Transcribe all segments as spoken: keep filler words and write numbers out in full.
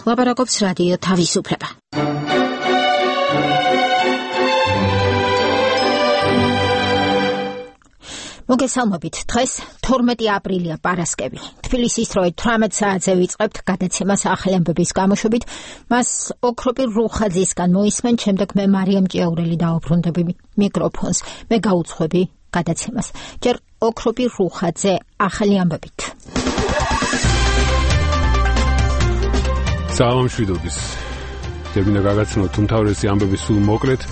ლაპარაკობს რადიო თავისუფლება. მოგესალმებით, დღეს თორმეტი აპრილია პარასკევი. თბილისის დროით თვრამეტ საათზე ვიწყებთ გადაცემას ახალი ამბების გამოშვებით. მას ოქროპირ რუხაძისგან მოისმენ, შემდეგ მე მარიამ ჭიაურელი დაუბრუნდები მიკროფონს. მე გაუძღვები გადაცემას. ჯერ ოქროპირ რუხაძე ახალი ამბებით. სალამ შვიდობის. დებინა გაგაცნოთ უმთავრესი ამბები სულ მოკლედ.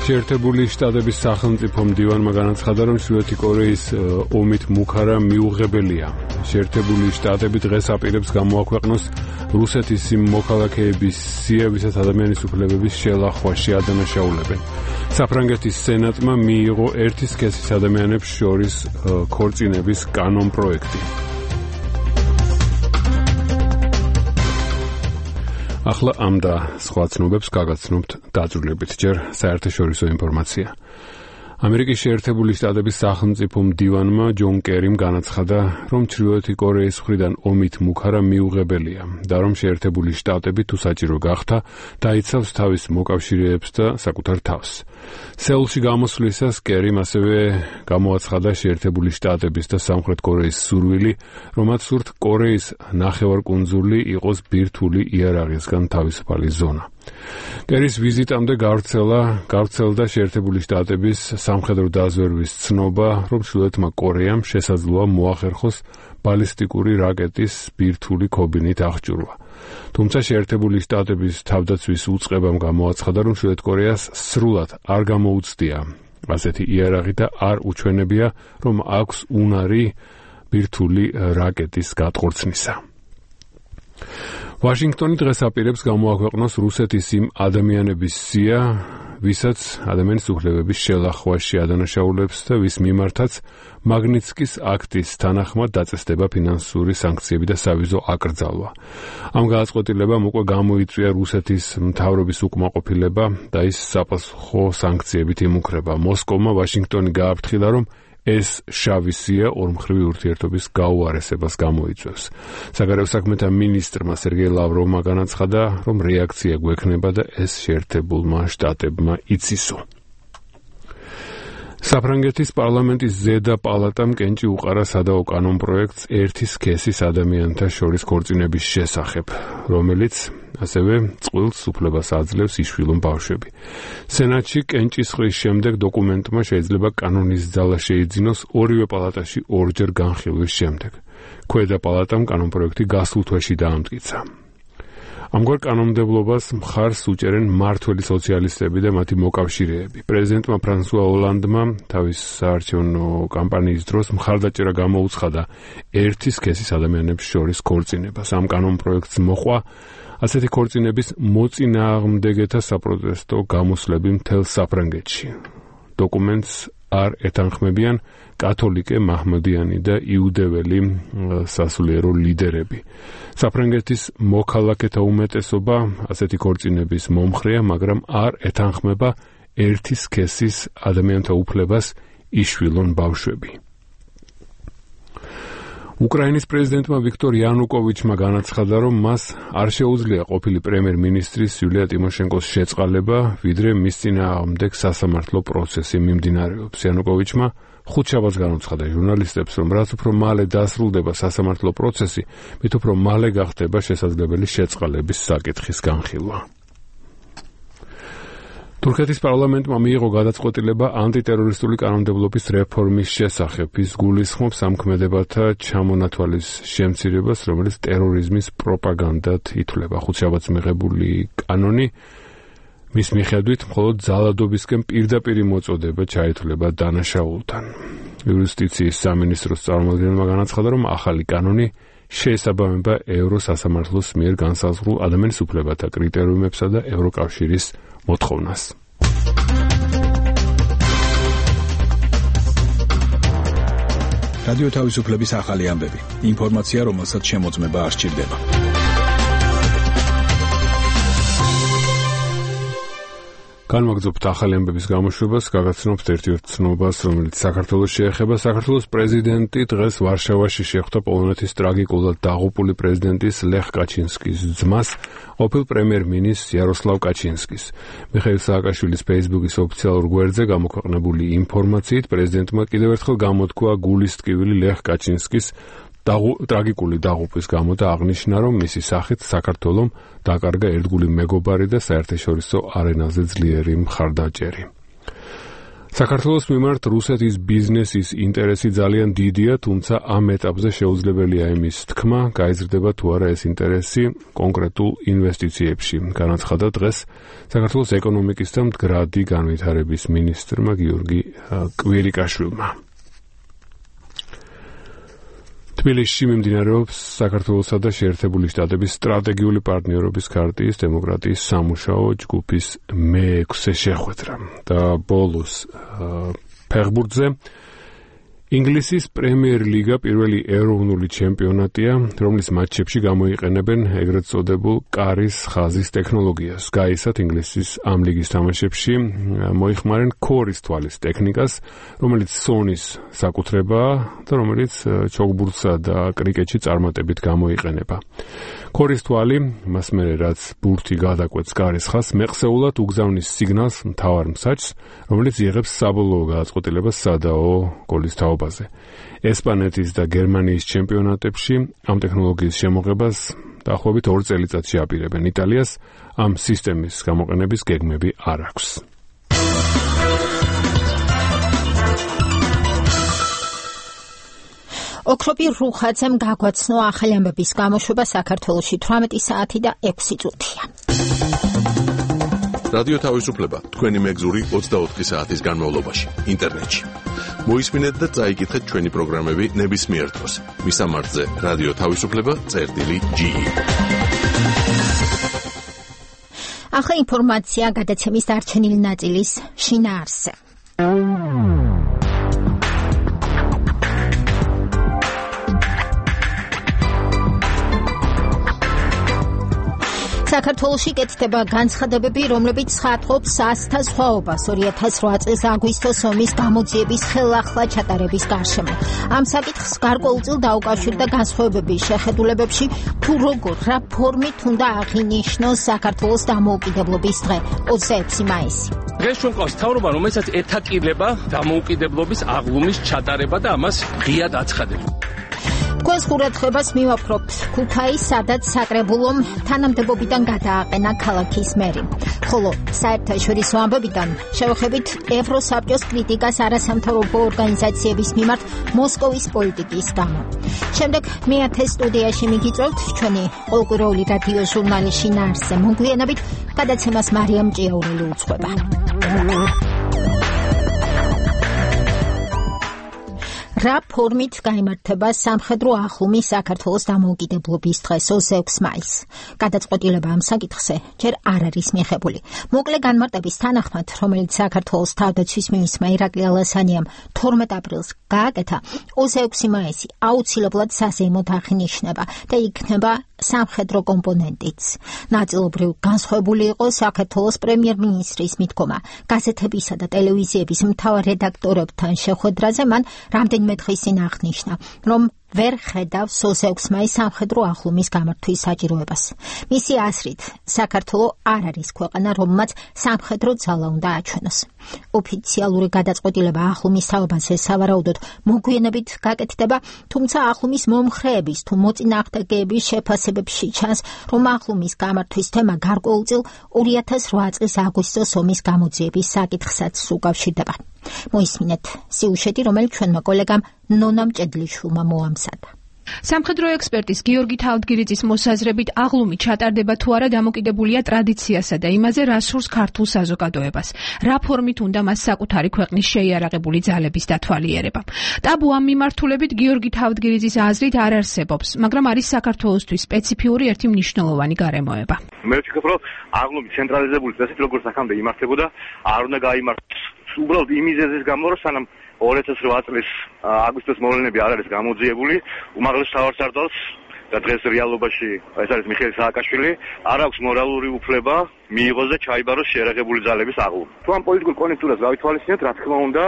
შეერთებული შტატების სახელმწიფო მდივანმა განაცხადა, რომ ჩრდილოეთი კორეის ომით მუქარა მიუღებელია. შეერთებული შტატები დღეს აპირებს გამოაქვეყნოს რუსეთის იმ მოქალაქეების სია, ვისაც ადამიანის უფლებების შელახვა შეადანაშაულებენ. საფრანგეთის სენატმა მიიღო ერთი სქესის ადამიანებს შორის ქორწინების კანონ პროექტი. ახლა ამ და სხვა ცნობებს გაგაცნობთ დაწვრილებით. ჯერ საერთაშორისო ინფორმაცია. ამერიკის შეერთებული შტატების სახელმწიფო მდივანმა ჯონ კერიმ განაცხადა, რომ ჩრდილოეთი კორეის მხრიდან ომით მუქარა მიუღებელია და რომ შეერთებული შტატები თუ საჭირო გახდა დაიცავს თავის მოკავშირეებს და საკუთარ თავს. სეულში გამოსვლისას კერიმ ასევე გამოაცხადა შეერთებული შტატების და სამხრეთ კორეის სურვილი, რომაც სურთ კორეის ნახევარკუნძული იყოს ბირთვული იარაღისგან თავისუფალი ზონა. კერის ვიზიტამდე გავრცელა გავრცელდა შეერთებული შტატების სამხედრო დაზვერვის ცნობა, რომ ჩრდილოეთმა კორეამ შესაძლოა მოახერხოს ბალისტიკური რაკეტის ბირთვული ქობინით აღჭურვა. თუმცა შეერთებული შტატების თავდაცვის უწყებამ გამოაცხადა, რომ ჩრდილოეთ კორეას სრულად არ გამოუცდია ასეთი იარაღი და არ უჩვენებია, რომ აქვს უნარი ბირთვული რაკეტის გატყორცნისა. ვაშინგტონი დღეს აპირებს გამოაქვეყნოს რუსეთის იმ ადამიანების სია, ვისაც ადამიანის უფლებების შელახვა შეადანაშაულებს და ვის მიმართაც მაგნიცკის აქტის თანახმად დაწესდება ფინანსური სანქციები და სავიზო აკრძალვა. ამ გადაწყვეტილებამ უკვე გამოიწვია რუსეთის მთავრობის უკმაყოფილება და ის საპასუხო სანქციებით იმუქრება. მოსკოვმა ვაშინგტონი გააფრთხილა, რომ ეს შავი სია ორმხრივი ურთიერთობის გაუარესებას გამოიწვევს. საგარეო საქმეთა მინისტრმა სერგეი ლავროვმა განაცხადა, რომ რეაქცია გვექნება და ეს შეერთებულმა შტატებმა იცისო. საფრანგეთის პარლამენტის ზედა პალატამ კენჭი უყარა სადაო კანონ პროექტს ერთი სქესის ადამიანთა შორის ქორწინების შესახებ, რომელიც ასევე წყვილს უფლებას აძლევს იშვილონ ბავშვები. სენატში კენჭისყრის შემდეგ დოკუმენტმა შეიძლება კანონის ძალა შეიძინოს ორივე პალატაში ორჯერ განხილვის შემდეგ. ქვედა პალატამ კანონ პროექტი გასულ თვეში დაამტკიცა. ამგვარ კანონმდებლობას მხარს უჭერენ მმართველი სოციალისტები და მათი მოკავშირეები. პრეზიდენტმა ფრანსუა ოლანდმა თავის საარჩევნო კამპანიის დროს მხარდაჭერა გამოუცხადა ერთი სქესის ადამიანებს შორის ქორწინებას. ამ კანონ პროექტს მოყვა ასეთი ქორწინების მოწინააღმდეგეთა საპროტესტო გამოსვლები მთელ საფრანგეთში. დოკუმენტს არ ეთანხმებიან კათოლიკე, მაჰმედიანი და იუდეველი სასულიერო ლიდერები. საფრანგეთის მოქალაქეთა უმეტესობა ასეთი ქორწინების მომხრეა, მაგრამ არ ეთანხმება ერთი სქესის ადამიანთა უფლებას იშვილონ ბავშვები. უკრაინის პრეზიდენტმა ვიქტორ იანუკოვიჩმა განაცხადა, რომ მას არ შეუძლია ყოფილი პრემიერ-მინისტრის იულია ტიმოშენკოს შეწყალება, ვიდრე მის წინააღმდეგ სასამართლო პროცესი მიმდინარეობს. იანუკოვიჩმა ხუთშაბათს განუცხადა ჟურნალისტებს, რომ რაც უფრო მალე დასრულდება სასამართლო პროცესი, მით უფრო მალე გახდება შესაძლებელი შეწყალების საკითხის განხილვა. თურქეთის პარლამენტმა მიიღო გადაწყვეტილება ანტიტერორისტული კანონმდებლობის რეფორმის შესახებ. ის გულისხმობს ამ ქმედებათა ჩამონათვალის შემცირებას, რომელიც ტერორიზმის პროპაგანდად ითვლება. ხუთშაბათს მიღებული კანონი მის მიხედვით მხოლოდ ძალადობისკენ პირდაპირი მოწოდება ჩაითვლება დანაშაულთან. იუსტიციის სამინისტროს წარმომადგენელმა განაცხადა, რომ ახალი კანონი შეესაბამება ევროსასამართლოს მიერ განსაზღვრულ ადამიანის უფლებათა კრიტერიუმებსა და ევროკავშირის მოთხოვნას. რადიო თავისუფლების ახალი ამბები. ინფორმაცია, რომელსაც შემოწმება არ სჭირდება. განვაგრძობთ ახალი ამბების გამოშვებას, გაგაცნობთ ერთ-ერთ ცნობას, რომელიც საქართველოს შეეხება. საქართველოს პრეზიდენტი დღეს ვარშავაში შეხვდა პოლონეთის ტრაგიკულად დაღუპული პრეზიდენტის ლეხ კაჩინსკის ძმას, ყოფილ პრემიერ-მინისტრს იაროსლავ კაჩინსკის. მიხეილ სააკაშვილის Facebook-ის ოფიციალურ გვერდზე გამოქვეყნებული ინფორმაციით პრეზიდენტმა კიდევ ერთხელ გამოთქვა გულის ტკივილი ლეხ კაჩინსკის ტრაგიკული დაღუპვის გამო და აღნიშნა, რომ მისი სახით საქართველომ დაკარგა ერთგული მეგობარი და საერთაშორისო არენაზე ძლიერი მხარდაჭერი. საქართველოს მიმართ რუსეთის ბიზნესის ინტერესი ძალიან დიდია, თუმცა ამ ეტაპზე შეუძლებელია იმის თქმა, გაიზრდება თუ არა ეს ინტერესი კონკრეტულ ინვესტიციებში. განაცხადა დღეს საქართველოს ეკონომიკის და მდგრადი განვითარების მინისტრმა გიორგი კვირიკაშვილმა. თბილისში მიმდინარეობს საქართველოსა და შეერთებული შტატების სტრატეგიული პარტნიორობის ქარტიის დემოკრატიის სამუშაო ჯგუფის მეექვსე შეხვედრა და ბოლოს ფეხბურთზე ინგლისის პრემიერ ლიგა პირველი ეროვნული ჩემპიონატია, რომლის მატჩებში გამოიყენებენ ეგრეთ წოდებულ კარის ხაზის ტექნოლოგიას. გაისად ინგლისის ამ ლიგის თამაშებში მოიხმარენ ქორის თვალის ტექნიკას, რომელიც სონის საკუთრებაა და რომელიც ჩოგბურთსა და კრიკეტში წარმატებით გამოიყენება. ქორის თვალი, მას მერე რაც ბურთი გადაკვეთს კარის ხაზს, მეყსეულად უგზავნის სიგნალს მთავარ მსაჯს, რომელიც იღებს საბოლოო გადაწყვეტილებას სადაო გოლის თაობაზე. ესპანეთის და გერმანიის ჩემპიონატებში ამ ტექნოლოგიის შემოღებას დაახლოებით ორ წელიწადში აპირებენ. იტალიას ამ სისტემის გამოყენების გეგმები არ აქვს. ოქროპირ რუხაძემ გაგვაცნო ახალი ამბების გამოშვება საქართველოში თვრამეტი საათი და ექვსი წუთია. რადიო თავისუფლება თქვენი მეგზური ოცდაოთხი საათის განმავლობაში ინტერნეტში. მოისმინეთ და წაიკითხეთ ჩვენი პროგრამები ნებისმიერ დროს. მისამართზე რადიო თავისუფლება წერტილი ჯი. ახლა ინფორმაცია გადაცემის დარჩენილი ნაწილის შინაარსზე. საქართველოში კეთდება განცხადებები, რომლებიც ხატობს ასთა სხვაობას ორი ათას რვა წლის აგვისტოს ომის გამოძიების ხელახლა ჩატარების გარშემო. ამ საკითხს გარკვეულწილ დაუკავშირდა განსხვავებების შეხედულებებში, თუ როგორ, რა ფორმით უნდა აღინიშნოს საქართველოს დამოუკიდებლობის დღე, ოცდაექვსი მაისი. დღეს ჩვენ ყავს მთავრობა, რომელსაც ეთაკილება დამოუკიდებლობის აღლუმის ჩატარება და ამას ღიად აცხადებს. თქვენს ყურადღებას მივაფრობთ ქუთაის, სადაც საკრებულომ თანამდებობიდან გადააყენა ქალაქის მერი. ხოლო საერთაშორისო ამბებიდან შევხედით ევროსაბჭოს კრიტიკას არასამთავრობო ორგანიზაციების მიმართ მოსკოვის პოლიტიკის გამო. შემდეგ მეათე სტუდიაში მიგიწევთ ჩვენი ყოველკვირეული რადიო ჟურნალი შინაარსზე მოგვიანებით გადაცემას მარიამ ჭიაურელი უძღვება. რა ფორმით გაიმართება სამხედრო აღლუმი საქართველოს დამოუკიდებლობის დღეს ოცდაექვსი მაისს. გადაწყვეტილება ამ საკითხზე ჯერ არ არის მიღებული. მოკლე განმარტების თანახმად, რომელიც საქართველოს თავდაცვის მინისტრმა ირაკლი ალასანიამ თორმეტ აპრილს გააკეთა, ოცდაექვსი მაისი აუცილებლად საზეიმოდ აღინიშნება და იქნება სამხედრო კომპონენტიც. ნაწილობრივ განსხვავებული იყო საქართველოს პრემიერ-მინისტრის მიდგომა. გაზეთებისა და ტელევიზიების მთავარ რედაქტორებთან შეხვედრაზე მან რამდენიმე დღის წინ აღნიშნა, რომ ვერ ხედავს ოცდაექვსი მაისის სამხედრო აღლუმის გამართვის საჭიროებას. მისი აზრით, საქართველო არ არის ქვეყანა, რომელმაც სამხედრო ძალა უნდა აჩვენოს. ოფიციალური გადაწყვეტილება აღლუმის თაობაზე სავარაუდოდ მოგვიანებით გაკეთდება, თუმცა აღლუმის მომხრეების თუ მოწინააღმდეგეების შეფასებებში ჩანს, რომ აღლუმის გამართვის თემა გარკვეულწილ ორი ათას რვა წლის აგვისტოს ომის გამოძიების საკითხსაც უკავშირდება. მოისმინეთ სიუჟეტი, რომელიც ჩვენმა კოლეგამ ნონამ ჭედლიშვილმა მოამზადა. სამხედრო ექსპერტის გიორგი თავდგირიძის მოსაზრებით აღლუმი ჩატარდება თუ არა დამოკიდებულია ტრადიციასა და იმაზე, რა სურს ქართულ საზოგადოებას. რა ფორმით უნდა მას საკუთარი ქვეყნის შეიარაღებული ძალების დათვალიერება. ტაბუ ამ მიმართულებით გიორგი თავდგირიძის აზრით არ არსებობს, მაგრამ არის საქართველოსთვის სპეციფიური ერთი მნიშვნელოვანი გარემოება. მე ვფიქრობ, რომ აღლუმი ცენტრალიზებული წესით როგორც აქამდე იმართებოდა, არ უნდა გაიმართოს. უბრალოდ იმიზეზის გამო, რომ სანამ ორი ათას რვა წლის აგვისტოს მოვლენები არ არის გამოძიებული, უმაღლეს მთავარსარდალს და დღეს რეალობაში ეს არის მიხეილ სააკაშვილი, არ აქვს მორალური უფლება მიიღოს და ჩაიბაროს შეერაღებული ძალების აღლუმი. თუ ამ პოლიტიკურ კონექტურას გავითვალისწინებთ, რა თქმა უნდა,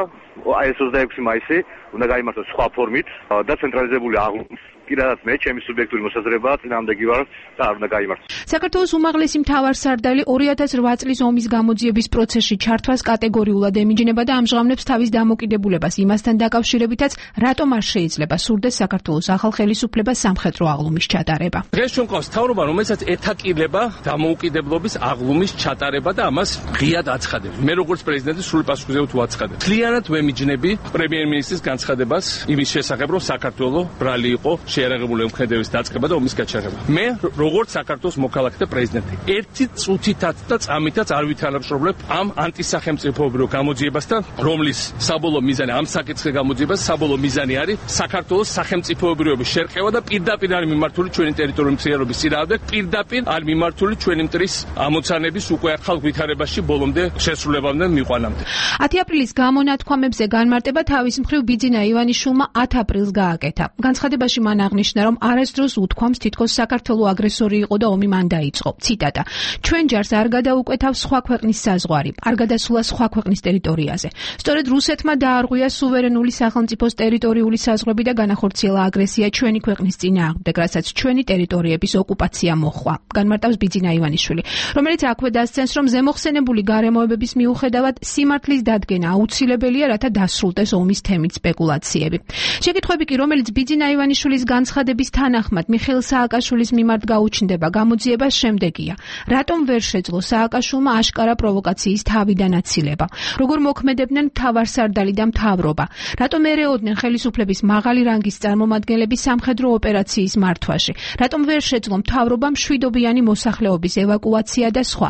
აი ეს ოცდაექვსი მაისი უნდა გაიმართოს სხვა ფორმით და ცენტრალიზებული აღლუმი. კიდევაც მე ჩემი სუბიექტური მოსაზრებაა წინააღმდეგი ვარ და არ უნდა გაიმართოს. საქართველოს უმაღლესი მთავარსარდალი ორი ათას ოთხ წლის ომის გამოძიების პროცესში ჩართვას კატეგორიულად ემიჯნება და ამჟღავნებს თავის დამოკიდებულებას იმასთან დაკავშირებითაც, რატომ არ შეიძლება სურდეს საქართველოს ახალ ხელისუფლებას სამხედრო აღლუმის ჩატარება. დღეს ჩვენ ყავს მთავრობა, რომელსაც ეთაკილება დამოუკიდებლობის აღლუმის ჩატარება და ამას ღიად აცხადებს. მე როგორც პრეზიდენტი სრული პასუხისმგებლობით ვაცხადებ. მთლიანად ვემიჯნები პრემიერ-მინისტრის განცხადებას იმის შესახებ, რომ საქართველო ბრალი იყო შეერაღებული ემქმედების დაწყება და ომის გაჩაღება. მე როგორც საქართველოს მოქალაქე და პრეზიდენტი ერთი წუთითაც და წამითაც არ ვითანამშრომლებ ამ ანტისახელმწიფოებრივ გამოძიებასთან, რომლის საბოლოო მიზანი ამ საკითხის გამოძიებას საბოლოო მიზანი არის საქართველოს სახელმწიფოებრიობის შერყევა და პირდაპირ არის მიმართული ჩვენი ტერიტორიული მთლიანობის წინააღმდეგ, პირდაპირ არის მიმართული ჩვენი მტრის ამოცანების უკვე ახალ ვითარებაში ბოლომდე შესრულებამდე მიყვანამდე. ათი აპრილის გამონათქვამებზე განმარტება თავის მხრივ ბიძინა ივანიშვილმა ათ აპრილს გააკეთა. განცხადებაში მან აღნიშნა, რომ არასდროს უთქვამს თითქოს საქართველო აგრესორი იყო და ომი მან დაიწყო. ციტატა: ჩვენ ჯარს არ გადაუკვეთავ სხვა ქვეყნის საზღვარი, არ გადასულა სხვა ქვეყნის ტერიტორიაზე. სწორედ რუსეთმა დაარღვია სუვერენული სახელმწიფოს ტერიტორიული საზღვრები და განახორციელა აგრესია ჩვენი ქვეყნის წინააღმდეგ, რასაც ჩვენი ტერიტორიების ოკუპაცია მოჰყვა. განმარტავს ბიძინა ივანიშვილი, რომელიც აქვე დასცენს, რომ ზემოხსენებული გარემოებების მიუხედავად სიმართლის დადგენა აუცილებელია, რათა დასრულდეს ომის თემით სპეკულაციები. შეკითხვები კი, რომელიც ბიძინა ივანიშვილის განცხადების თანახმად მიხეილ სააკაშვილის მიმართ გაუჩნდება გამოძიება შემდეგია: რატომ ვერ შეძლო სააკაშვილმა აშკარა პროვოკაციის თავიდან აცილება? როგორ მოქმედებდნენ მთავარსარდალი და მთავრობა? რატომ ერეოდნენ ხელისუფლების მაღალი რანგის წარმომადგენლები სამხედრო ოპერაციის მართვაში? რატომ ვერ შეძლო მთავრობამ მშვიდობიანი მოსახლეობის ევაკუაცია და სხვა?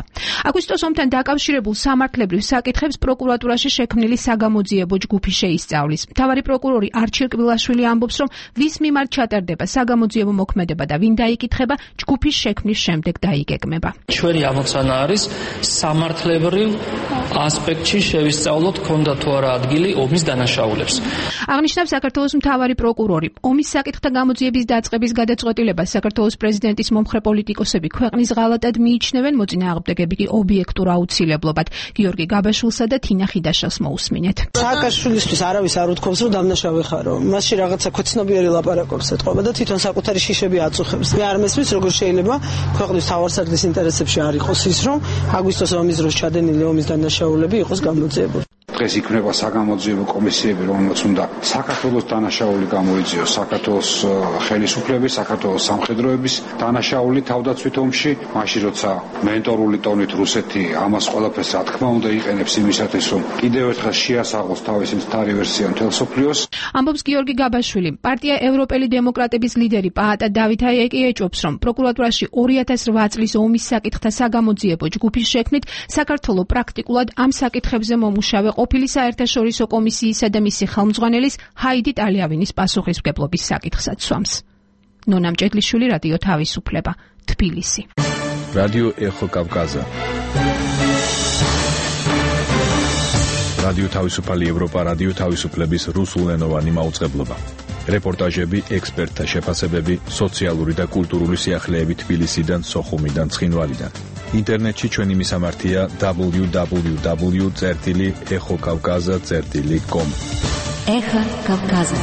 აგვისტოს ომთან დაკავშირებულ სამართლებრივ საკითხებს პროკურატურაში შექმნილი საგამოძიებო ჯგუფი შეისწავლის. მთავარი პროკურორი არჩილ კბილაშვილი ამბობს, რომ ვის მიმართ ჩატარდება საგამოძიებო მოქმედება და ვინ დაიკითხება, ჯგუფის შექმნის შემდეგ დაიგეგმება. ჩვენი ამოცანა არის სამართლებრივ ასპექტში შევისწავლოთ, ქონდა თუ არა ადგილი ომის დანაშაულებს. აღნიშნავს საქართველოს მთავარი პროკურორი. ომის საკითხთა გამოძიების დაწყების გადაწყვეტილებას საქართველოს პრეზიდენტის მომხრე პოლიტიკოსები ქვეყნის ღალატად მიიჩნევენ, მოწინააღმდეგები კი ობიექტურ აუცილებლობად. გიორგი გაბაშვილსა და თინა ხიდაშელს მოусმინეთ. სააკაშვილისთვის არავის არ უთქვამს, რომ დამნაშავე ხარო. მასში რაღაცა ქვეცნობიერი ლაპარაკობს ეთყობა და თვითონ საკუთარი შიშები აწუხებს. მე არ მესმის, როგორ შეიძლება ქვეყნის თავარსარდლის ინტერესებში არ იყოს ის, რომ აგვისტოს ომის დროს ჩადენილი ომის დანაშაულები იყოს გამოძიებული. დღეს იქნება საგამოძიებო კომისიები, რომელმაც უნდა საქართველოს დანაშაული გამოიძიოს, საქართველოს ხელისუფლების, საქართველოს სამხედროების დანაშაული თავდაცვით ომში, მაშინ როცა მენტორული ტონით რუსეთი ამას ყველაფერს რა თქმა უნდა იყენებს იმისათვის, რომ კიდევ ერთხელ შეასაღოს თავისი მთავარი ვერსია მთელ მსოფლიოს. ამბობს გიორგი გაბაშვილი. პარტია ევროპელი დემოკრატების ლიდერი პაატა დავით აიეკი ეჭვობს, რომ პროკურატურაში ორი ათას რვა წლის ომის საკითხთა საგამოძიებო ჯგუფის შექმნით საქართველო პრაქტიკულად ამ საკითხებზე მომუშავე ყოფილი საერთაშორისო კომისიისა და მისი ხელმძღვანელის ჰაიდი ტალიავინის პასუხისმგებლობის საკითხსაც სვამს. ნონა მჭედლიშვილი, რადიო თავისუფლება, თბილისი. რადიო ეხო კავკაზა. რადიო თავისუფალი ევროპა, რადიო თავისუფლების რუსულენოვანი მაუწყებლობა. რეპორტაჟები, ექსპერტთა შეფასებები, სოციალური და კულტურული სიახლეები თბილისიდან, სოხუმიდან, ცხინვალიდან. ინტერნეტში ჩვენი მისამართია დაბლიუ დაბლიუ დაბლიუ წერტილი ეხო კავკაზა წერტილი კომ. ეხო კავკაზა.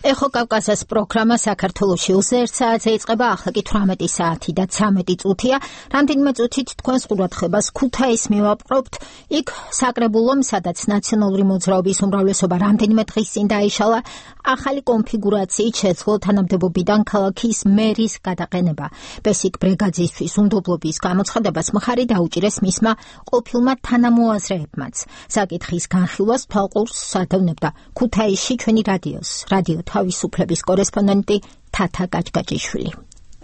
ეხო კავკაზას პროგრამა საქართველოში ოცდაერთ საათზე იწყება, ახლა კი თვრამეტი საათი და ცამეტი წუთია. რამდენიმე წუთით თქვენს ყურადღებას ქუთაისს მივაპყრობთ. იქ საკრებულომ, სადაც ნაციონალური მოძრაობის უმრავლესობა რამდენიმე დღის წინ დაიშალა, ახალი კონფიგურაციით შეძლო თანამდებობიდან ქალაქის მერის გადაყენება. ბესიკ ბრეგაძისთვის უნდობლობის გამოცხადებას მხარი დაუჭირეს მისმა ყოფილმა თანამოაზრეებმაც. საკითხის განხილვას თვალყურს ადევნებდა ქუთაისში ჩვენი რადიოს, რადიო თავისუფლების კორესპონდენტი თათა გაჭგაჭიშვილი.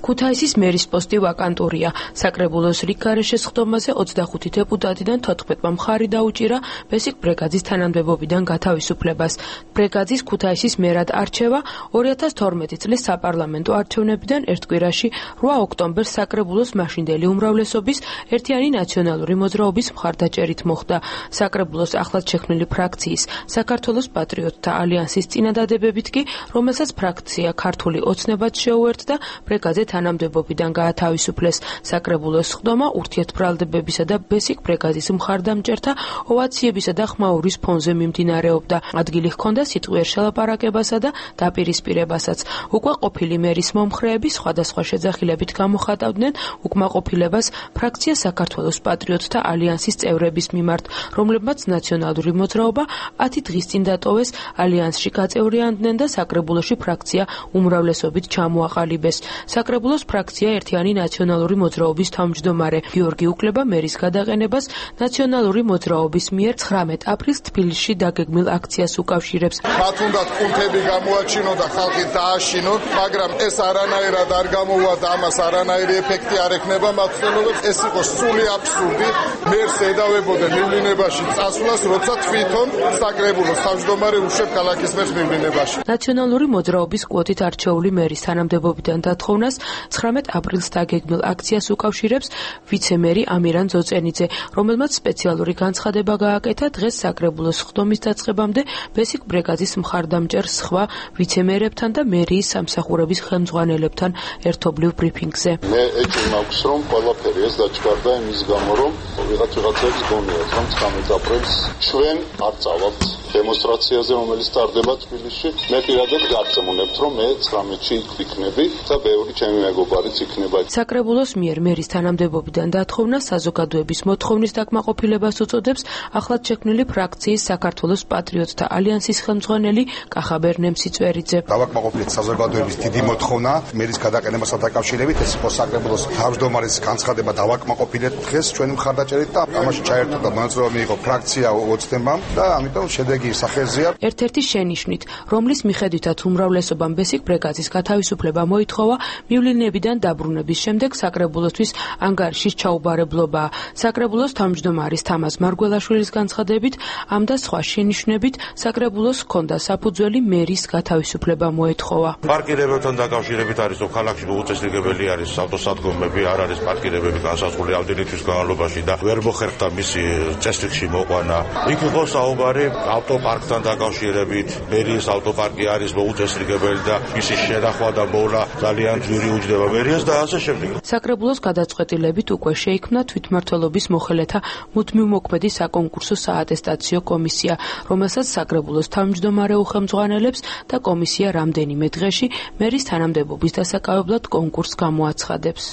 ქუთაისის მერის პოსტი ვაკანტურია. საკრებულოს რიგგარეშე სხდომაზე ოცდახუთი დეპუტატიდან თოთხმეტმა მხარი დაუჭირა ბესიკ ბრეგაძის თანამდებობიდან გათავისუფლებას. ბრეგაძის ქუთაისის მერად არჩევა ორი ათას თორმეტი წლის საპარლამენტო არჩევნებიდან ერთ კვირაში რვა ოქტომბერს საკრებულოს მაშინდელი უმრავლესობის ერთიანი ნაციონალური მოძრაობის მხარდაჭერით მოხდა. საკრებულოს ახლად შექმნილი ფრაქციის საქართველოს პატრიოტთა ალიანსის წინადადებებით კი, რომელსაც ფრაქცია ქართული ოცნებაც შეუერთდა, ბრეგაძე თანამდებობიდან გაათავისუფლეს. საკრებულოს სხდომა ურთიერთბრალდებებისა და ბესიკ ბრეგაძის მხარდამჭერთა ოვაციებისა და ხმაურის ფონზე მიმდინარეობდა. ადგილი ჰქონდა სიტყვიერ შელაპარაკებასა და დაპირისპირებასაც. უკმაყოფილი მერის მომხრეები სხვადასხვა შეძახილებით გამოხატავდნენ უკმაყოფილებას ფრაქცია საქართველოს პატრიოტთა ალიანსის წევრების მიმართ, რომლებმაც ნაციონალური მოძრაობა ათი დღის წინ დატოვეს, ალიანსში გაწევრიანდნენ და საკრებულოში ფრაქცია უმრავლესობით ჩამოაყალიბეს. საკრებულოს ფრაქცია ერთიანი ნაციონალური მოძრაობის თავმჯდომარე გიორგი უკლება მერის გადაყენებას ნაციონალური მოძრაობის მიერ ცხრამეტ აპრილს თბილისში დაგეგმილ აქციას უკავშირებს. მათ უნდა კუნთები გამოაჩინონ და ხალხი დააშინონ, მაგრამ ეს არანაირად არ გამოვა და ამას არანაირი ეფექტი არ ექნება მათ ცდილობებს. ეს იყო სრული აბსურდი. მერს ედავებოდნენ მივლინებაში წასვლას, როცა თვითონ საკრებულოს თავმჯდომარე უშვებს ქალაქის მერს მივლინებაში. ნაციონალური მოძრაობის კვოტით არჩეული მერის თანამდებობიდან დათხოვნას ცხრამეტ აპრილს დაგეგმილ აქციას უკავშირებს ვიცე-მერი ამირან ძოწენიძე, რომელმაც სპეციალური განცხადება გააკეთა დღეს საკრებულოს სხდომის დაწყებამდე ბესიკ ბრეგაძის მხარდამჭერ სხვა ვიცე-მერებთან და მერიის სამსახურების ხელმძღვანელებთან ერთობლივ ბრიფინგზე. მე ეჭვი მაქვს, რომ ყველაფერი ეს დაჩქარდა იმის გამო, რომ ვიღაც ვიღაცებს გონიათ, რომ ცხრამეტ აპრილს ჩვენ არ წავალთ დემონსტრაციაზე, რომელიც ტარდება თბილისში. მე პირადად გარწმუნებთ, რომ მე ცხრამეტში ვიქნები და ბევრი ჩემი მეგობარიც იქნება. საკრებულოს მიერ მერის თანამდებობიდან დათხოვნა საზოგადოების მოთხოვნის დაკმაყოფილებას უწოდებს ახლად შექმნილი ფრაქციის საქართველოს პატრიოტთა ალიანსის ხელმძღვანელი კახაბერ ნემსიწვერიძე. დავაკმაყოფილეთ საზოგადოების დიდი მოთხოვნა მერის გადაყენებასთან დაკავშირებით. ეს იყო საკრებულოს თავმჯდომარის განცხადება, დავაკმაყოფილეთ დღეს ჩვენი მხარდაჭერით და ამაში ჩაერთო და მონაწილეობა მიიღო ფრაქცია ოცნებამ და ამიტომ შედეგი სახეზეა. ერთ-ერთი შენიშვნით, რომლის მიხედვითაც უმრავლესობამ ბესიკ ბრეგაძის გათავისუფლება მოითხოვა, მივლინებიდან დაბრუნების შემდეგ საკრებულოსთვის ანგარიშის ჩაუბარებლობაა. საკრებულოს თავმჯდომარის თამაზ მარგველაშვილის განცხადებით, ამ და სხვა შენიშვნებით საკრებულოს ჰქონდა საფუძველი მერის გათავისუფლება მოეთხოვა. პარკირებებთან დაკავშირებით არის, რომ ქალაქში უწესრიგებელი არის ავტოსადგომები, არ არის პარკირებები განსაზღვრული ამდენი თვის განმავლობაში და ვერ მოხერხდა მისი წესრიგში მოყვანა. იქ იყო საუბარი ავტოპარკთან დაკავშირებით, მერიის ავტოპარკი არის მოუწესრიგებელი და მისი შენახვა და მოვლა ძალიან ძვირი უჯდება მერიას და ასე შემდეგ. საკრებულოს გადაწყვეტილებით უკვე შეიქმნა თვითმმართველობის მოხელეთა მუდმივმოქმედი საკონკურსო საატესტაციო კომისია, რომელსაც საკრებულოს თავმჯდომარე უხელმძღვანელებს და კომისია რამდენიმე დღეში მერის თანამდებობის დასაკავებლად კონკურსს გამოაცხადებს.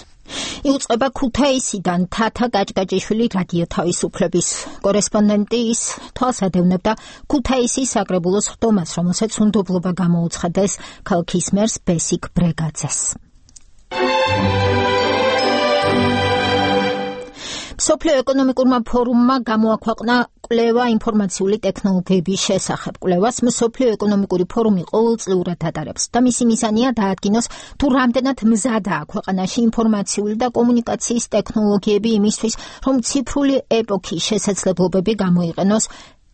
იუწყება ქუთაისიდან თათა გაჭგაჭიშვილი რადიო თავისუფლების კორესპონდენტი. ის თვალს ადევნებდა ქუთაისის საკრებულოს სხდომას, რომელსაც უნდობლობა გამოუცხადეს ქალაქის მერს ბესიკ ბრეგაძეს. სოფლიო ეკონომიკურმა ფორუმმა გამოაქვეყნა კვლევა ინფორმაციული ტექნოლოგიების შესახებ. კვლევას მსოფლიო ეკონომიკური ფორუმი ყოველწლიურად ატარებს და მისი მიზანია დაადგინოს, თუ რამდენად მზადაა ქვეყანაში ინფორმაციული და კომუნიკაციის ტექნოლოგიები იმისთვის, რომ ციფრული ეპოქის შესაძლებლობები გამოიყენოს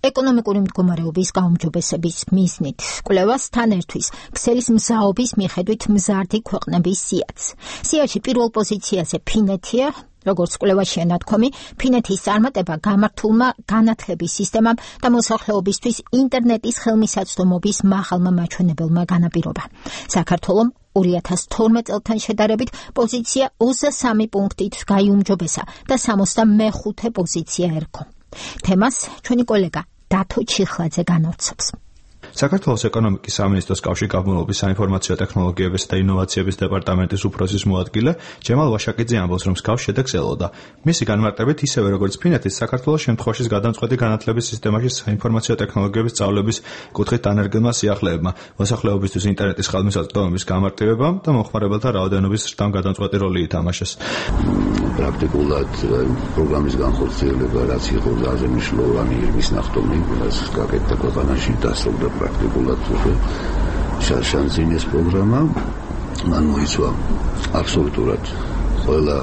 ეკონომიკური მდგომარეობის გაუმჯობესების მიზნით. კვლევას თან ერთვის ქსელის მზაობის მიხედვით მზარდი ქვეყნების სიაც. სიაში პირველ პოზიციაზე ფინეთია. როგორც კვლევაშია ნათქვამი, ფინეთის წარმატება გამართულმა განათლების სისტემამ და მოსახლეობისთვის ინტერნეტის ხელმისაწვდომობის მაღალმა მაჩვენებელმა განაპირობა. საქართველომ ორი ათას თორმეტ წელთან შედარებით პოზიცია ოცდაოთხ პუნქტით გაიუმჯობესა და სამოცდამეხუთე პოზიცია ერგო. თემას ჩვენი კოლეგა დათო ჩიხლაძე განავრცობს. საქართველოს ეკონომიკის სამინისტროს კავშირგაბმულობის საინფორმაციო ტექნოლოგიებისა და ინოვაციების დეპარტამენტის უფროსის მოადგილე ჯემალ ვაშაკიძე ამბობს, რომ მსგავს შედეგს ელოდა. მისი განმარტებით, ისევე როგორც ფინეთის, საქართველოს შემთხვევაში გადამწყვეტი განათლების სისტემაში საინფორმაციო ტექნოლოგიების სწავლების კუთხით დანერგილმა სიახლეებმა, მოსახლეობისთვის ინტერნეტის ხელმისაწვდომების გამარტივებამ და მომხმარებელთა რაოდენობის ზრდამ გადამწყვეტი როლი ითამაშეს. პრაქტიკულად პროგრამის განხორციელება, რაც იყო ძალიან მნიშვნელოვანი ირმის ნახტომი, რაც გაკეთდა ქვეყანაში, დასრულდა პრაქტიკულად შანსინის პროგრამა. მან მოიცვა აბსოლუტურად ყველა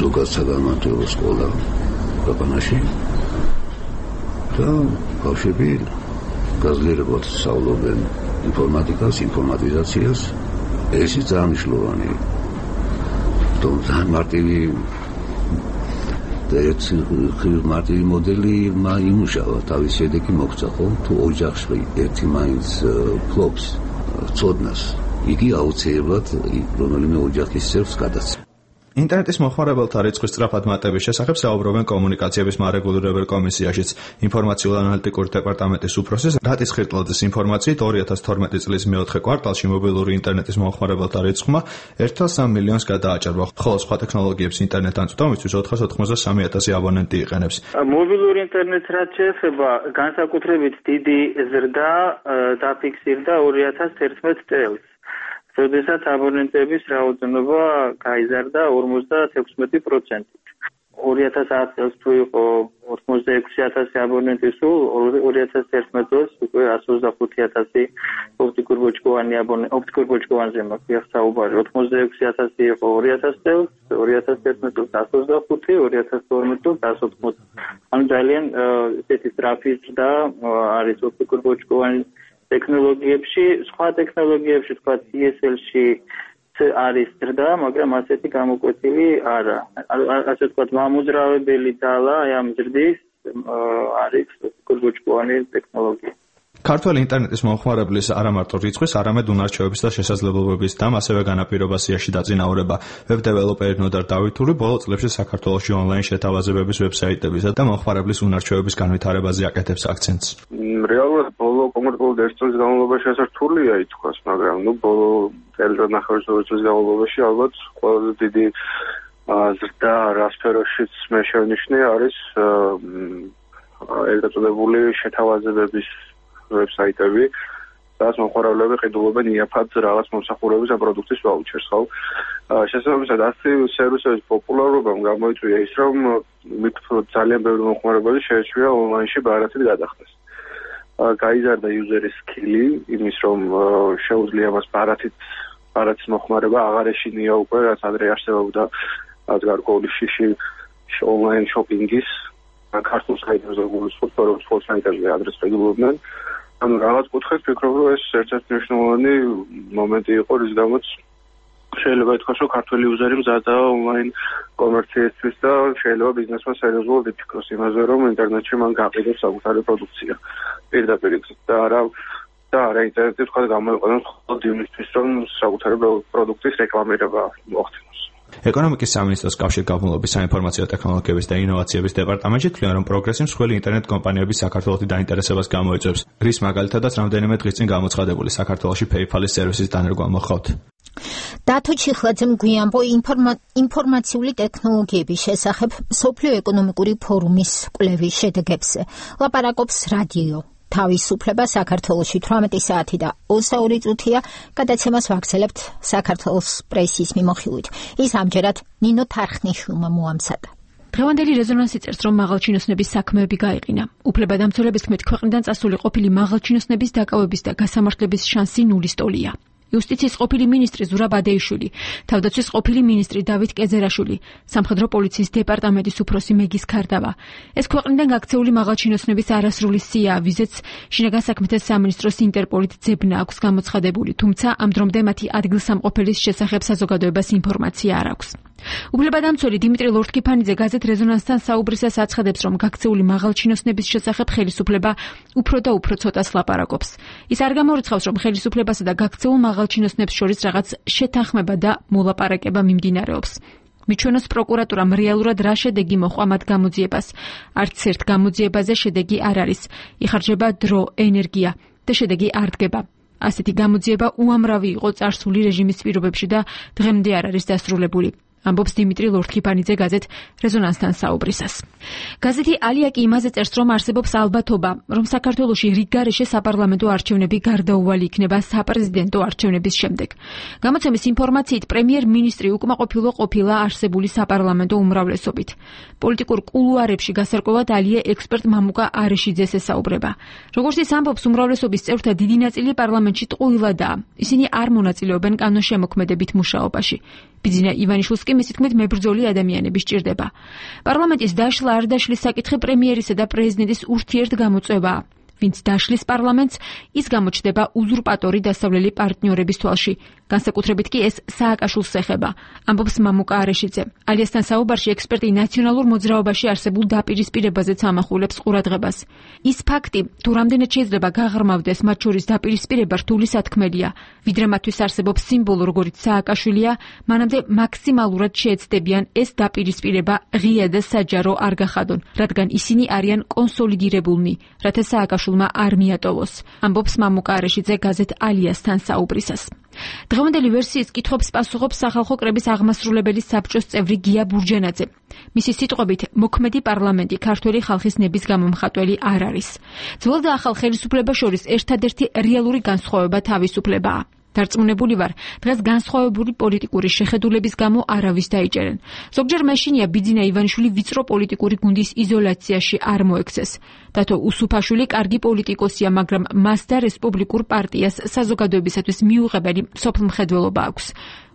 ზოგად საგანმანათლებლო სკოლა ქვეყანაში და ბავშვები გაძლიერებულად სწავლობენ ინფორმატიკას, ინფორმატიზაციას. ეს ძალიან მნიშვნელოვანი. თუმცა მარტივი ერთი მარტივი მოდელი იმუშავა, თავის შედეგი მოგვცა, ხო? თუ ოჯახში ერთი მაინც ფლობს ცოდნას იგი აუცილებლად რომელიმე ოჯახის წევრს გადაცემა. ინტერნეტის მოხმარებელთა რიცხვის სწრაფად მატების შესახებ საუბრობენ კომუნიკაციების მარეგულირებელ კომისიაშიც. ინფორმაციულ-ანალიტიკური დეპარტამენტის უფროსი რატის ხირტლაძის ინფორმაციით ორი ათას თორმეტი წლის მეოთხე კვარტალში მობილური ინტერნეტის მოხმარებელთა რიცხვმა ერთ თვე სამი მილიონს გადააჭარბა, ხოლო სხვა ტექნოლოგიების ინტერნეტ ანწვდომისთვის ოთხას ოთხმოცდასამი ათასი აბონენტი იყენებს. მობილური ინტერნეტს რაც შეეხება, განსაკუთრებით დიდი ზრდა დაფიქსირდა ორი ათას თერთმეტ წელს. როდესაც აბონენტების რაოდენობა გაიზარდა ორმოცდათექვსმეტი პროცენტით. ორი ათას ათ წელს თუ იყო ორმოცდაექვსი ათასი აბონენტი, სულ ორი ათას თერთმეტ წელს უკვე εκατს ოცდახუთი ათასი ოპტიკურ-ბოჭკოვანი აბონენტი, ოპტიკურ-ბოჭკოვანზე მაქვს საუბარი. ოცდაექვსი ათასი იყო ორი ათას წელს, ორი ათას თერთმეტ წელს εκατს ოცდახუთი, ორი ათას თორმეტ წელს εκατს ოცდაოთხი. ანუ ძალიან ესეთი სწრაფი ზრდა არის ოპტიკურ-ბოჭკოვანი ტექნოლოგიებში, სხვა ტექნოლოგიებში, თქვა დი ეს ელ-ში არის ზრდა, მაგრამ ასეთი გამოკვეთილი არა. ასე ვთქვათ, მამოძრავებელი ძალა ამ ზრდის არის ოპტიკურ-ბოჭკოვანი ტექნოლოგია. ქართველი ინტერნეტის მომხმარებლის არა მარტო რიცხვის, არამედ უნარჩვევების და შესაძლებლობების და ასევე განაპირობასიაში დაწინაურება. ვებ-დეველოპერი ნოდარ დავითური ბოლო წლებში საქართველოში ონლაინ შეთავაზებების ვებსაიტებისა და მომხმარებლის უნარჩვევების განვითარებაზე აკეთებს აქცენტს. რეალურად ბოლო კონკრეტულად ერთ წლის განმავლობაში ასე რთულია ითქვას, მაგრამ ნუ ბოლო წელიწადნახევრის ორი წლის განმავლობაში ალბათ ყველაზე დიდი ზრდა რა სფეროშიც მე შევნიშნე არის ეგრეთ წოდებული შეთავაზებების ვებსაიტები, სადაც მომხმარებლები ყიდულობენ იაფად რაღაც მომსახურების ან პროდუქტის ვაუჩერს, ხო? შესაბამისად, ასეთი სერვისების პოპულარობამ გამოიწვია ის, რომ ძალიან ბევრი მომხმარებელი შეეჩვია ონლაინში ბარათით გადახდეს. გაიზარდა იუზერის სკილი, იმის რომ შეუძლია მას ბარათით ბარათის მოხმარება აღარ ეშინია უკვე, რაც ადრე არსებობდა რაც გარკვეული შიში ონლაინ შოპინგის, ქართულ საიტებზე გულისხმობ, რომ სხვა საიტებზე ადრეს ყიდულობდნენ. ანუ რაღაც კუთხით ვფიქრობ, რომ ეს ერთ-ერთი მნიშვნელოვანი მომენტი იყო, რის გამოც შეიძლება ითქვას, რომ ქართველი იუზერი მზადაა ონლაინ კომერციისთვის და შეიძლება ბიზნესმა სერიოზულად იფიქროს იმაზე, რომ ინტერნეტში მან გაყიდოს საკუთარი პროდუქცია პირდაპირ და არა და არა ინტერნეტი თქვა გამოიყენოს მხოლოდ იმისთვის, რომ საკუთარი პროდუქტის რეკლამირება მოხდინოს. ეკონომიკის სამინისტროს კავშირგაბმულობის საინფორმაციო ტექნოლოგიების და ინოვაციების დეპარტამენტში თვლიან, რომ პროგრესი მსხვილი ინტერნეტ კომპანიების საქართველოში დაინტერესებას გამოიწვევს. რის მაგალითადაც რამდენიმე დღის წინ გამოცხადებული საქართველოში PayPal-ის სერვისის დანერგვა მოხდათ. დათო ჩიხლაძემ გვიანბო ინფორმაციული ტექნოლოგიების შესახებ მსოფლიო ეკონომიკური ფორუმის კვლევის შედეგებზე. ლაპარაკობს რადიო თავისუფლება საქართველოში თვრამეტი საათი და ოცდაორი წუთია, გადაცემას ვაგრძელებთ საქართველოს პრესის მიმოხილვით. ის ამჯერად ნინო თარხნიშვილმა მოამზადა. დღევანდელი რეზონანსი წერს, რომ მაღალჩინოსნების საქმეები გაიყინა. უფლებადამცველების თქმით, ქვეყნიდან წასული ყოფილი მაღალჩინოსნების დაკავების და გასამართლების შანსი ნულის ტოლია. იუსტიციის ყოფილი მინისტრი ზურაბ ადეიშვილი, თავდაცვის ყოფილი მინისტრი დავით კეზერაშვილი, სამხედრო პოლიციის დეპარტამენტის უფროსი მეგის ქარდავა. ეს ქვეყნიდან გაქცეული მაღალჩინოსნების არასრული სია, ვიზეც შინაგან საქმეთა სამინისტროს ინტერპოლით ძებნა აქვს გამოცხადებული, თუმცა ამ დრომდე მათი ადგილსამყოფელის შესახებ საზოგადოებას ინფორმაცია არ აქვს. უფლებადამცველი დიმიტრი ლორთქიფანიძე გაზეთ რეზონანსთან საუბრისას აცხადებს, რომ გაქცეული მაღალჩინოსნების შესახებ ხელისუფლება უფრო და უფრო ცოტას ლაპარაკობს. ის არ გამორიცხავს, რომ ხელისუფლებასა და გაქცეულ მაღალჩინოსნებს შორის რაღაც შეთანხმება და მოლაპარაკება მიმდინარეობს. მიჩვენოს პროკურატურამ რეალურად რა შედეგი მოჰყვა მათ გამოძიებას. არც ერთ გამოძიებაზე შედეგი არ არის. იხარჯება დრო, ენერგია და შედეგი არ დგება. ასეთი გამოძიება უამრავი იყო წარსული რეჟიმის პირობებში და დღემდე არ არის დასრულებული. ამბობს დიმიტრი ლორთქიფანიძე გაზეთ რეზონანსთან საუბრისას. გაზეთი ალია კი იმაზე წერს, რომ არსებობს ალბათობა, რომ საქართველოში რიგგარეშე საპარლამენტო არჩევნები გარდაუვალი იქნება საპრეზიდენტო არჩევნების შემდეგ. გამოცემის ინფორმაციით პრემიერ-მინისტრი უკმაყოფილო ყოფილა არსებული საპარლამენტო უმრავლესობით. პოლიტიკურ კულუარებში გასარკვევად ალია ექსპერტ მამუკა არეშიძეს ესაუბრება. როგორც ის ამბობს, უმრავლესობის წევრთა დიდი ნაწილი პარლამენტში ტყუილადაა. ისინი არ მონაწილეობენ კანონშემოქმედებით მუშაობაში. ბიძინა ივანიშვილს კი მისი თქმით მებრძოლი ადამიანები სჭირდება. პარლამენტის დაშლა არ დაშლის საკითხი პრემიერისა და პრეზიდენტის ურთიერთ გამოწვევაა. ვინც დაშლის პარლამენტს, ის გამოჩნდება უზურპატორი დასავლელი პარტნიორების თვალში. განსაკუთრებით კი ეს სააკაშვილს ეხება, ამბობს მამუკა არეშიძე. ალიასთან საუბარში ექსპერტი ნაციონალურ მოძრაობაში არსებულ დაპირისპირებაზეც ამახვილებს ყურადღებას. ის ფაქტი, თუ რამდენად შეიძლება გაღრმავდეს მათ შორის დაპირისპირება რთული სათქმელია, ვიდრე მათთვის არსებობს სიმბოლო, როგორიც სააკაშვილია, მანამდე მაქსიმალურად შეეცდებიან ეს დაპირისპირება ღია და საჯარო არ გახადონ, რადგან ისინი არიან კონსოლიდირებულნი, რათა სააკაშვილმა არ მიატოვოს, ამბობს მამუკა არეშიძე გაზეთ ალიასთან საუბრისას. დღევანდელი ვერსიის კითხვებს პასუხობს სახალხო კრების აღმასრულებელი საბჭოს წევრი გია ბურჯანაძე. მისი სიტყვებით, მოქმედი პარლამენტი ქართველი ხალხის ნების გამომხატველი არ არის. ძველ და ახალ ხელისუფლებას შორის ერთადერთი რეალური განსხვავება თავისუფლებაა. დარწმუნებული ვარ, დღეს განსხვავებული პოლიტიკური შეხედულების გამო არავის დაიჭერენ. ზოგჯერ მეშინია ბიძინა ივანიშვილი ვიწრო პოლიტიკური გუნდის იზოლაციაში არ მოექცეს. დათო უსუფაშვილი კარგი პოლიტიკოსია, მაგრამ მას და რესპუბლიკურ პარტიას საზოგადოებისათვის მიუღებელი სოფლმხედველობა აქვს.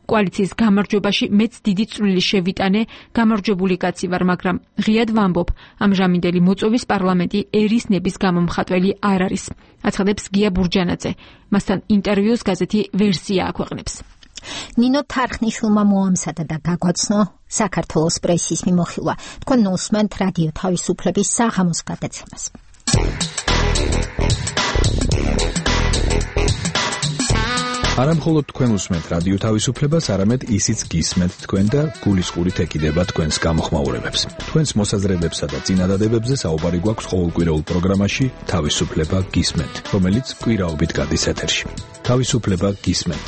კოალიციის გამარჯვებაში მეც დიდი წვლილი შევიტანე, გამარჯვებული კაცი ვარ, მაგრამ ღიად ვამბობ, ამჟამინდელი მოწვევის პარლამენტი ერის ნების გამომხატველი არ არის. აცხადებს გია ბურჯანაძე. მასთან ინტერვიუს გაზეთი ვერსია აქვეყნებს. ნინო თარხნიშვილმა მოამზადა და გაგვაცნო საქართველოს პრესის მიმოხილვა. თქვენ უსმენთ რადიო თავისუფლების საღამოს გადაცემას. არა მხოლოდ თქვენ უსმენთ რადიო თავისუფლებას, არამედ ისიც გისმენთ თქვენ და გულისყურით ეკიდება თქვენს გამოხმაურებებს. თქვენს მოსაზრებებსა და წინადადებებზე საუბარი გვაქვს ყოველკვირეულ პროგრამაში თავისუფლება გისმენთ, რომელიც კვირაობით გადის ეთერში. თავისუფლება გისმენთ.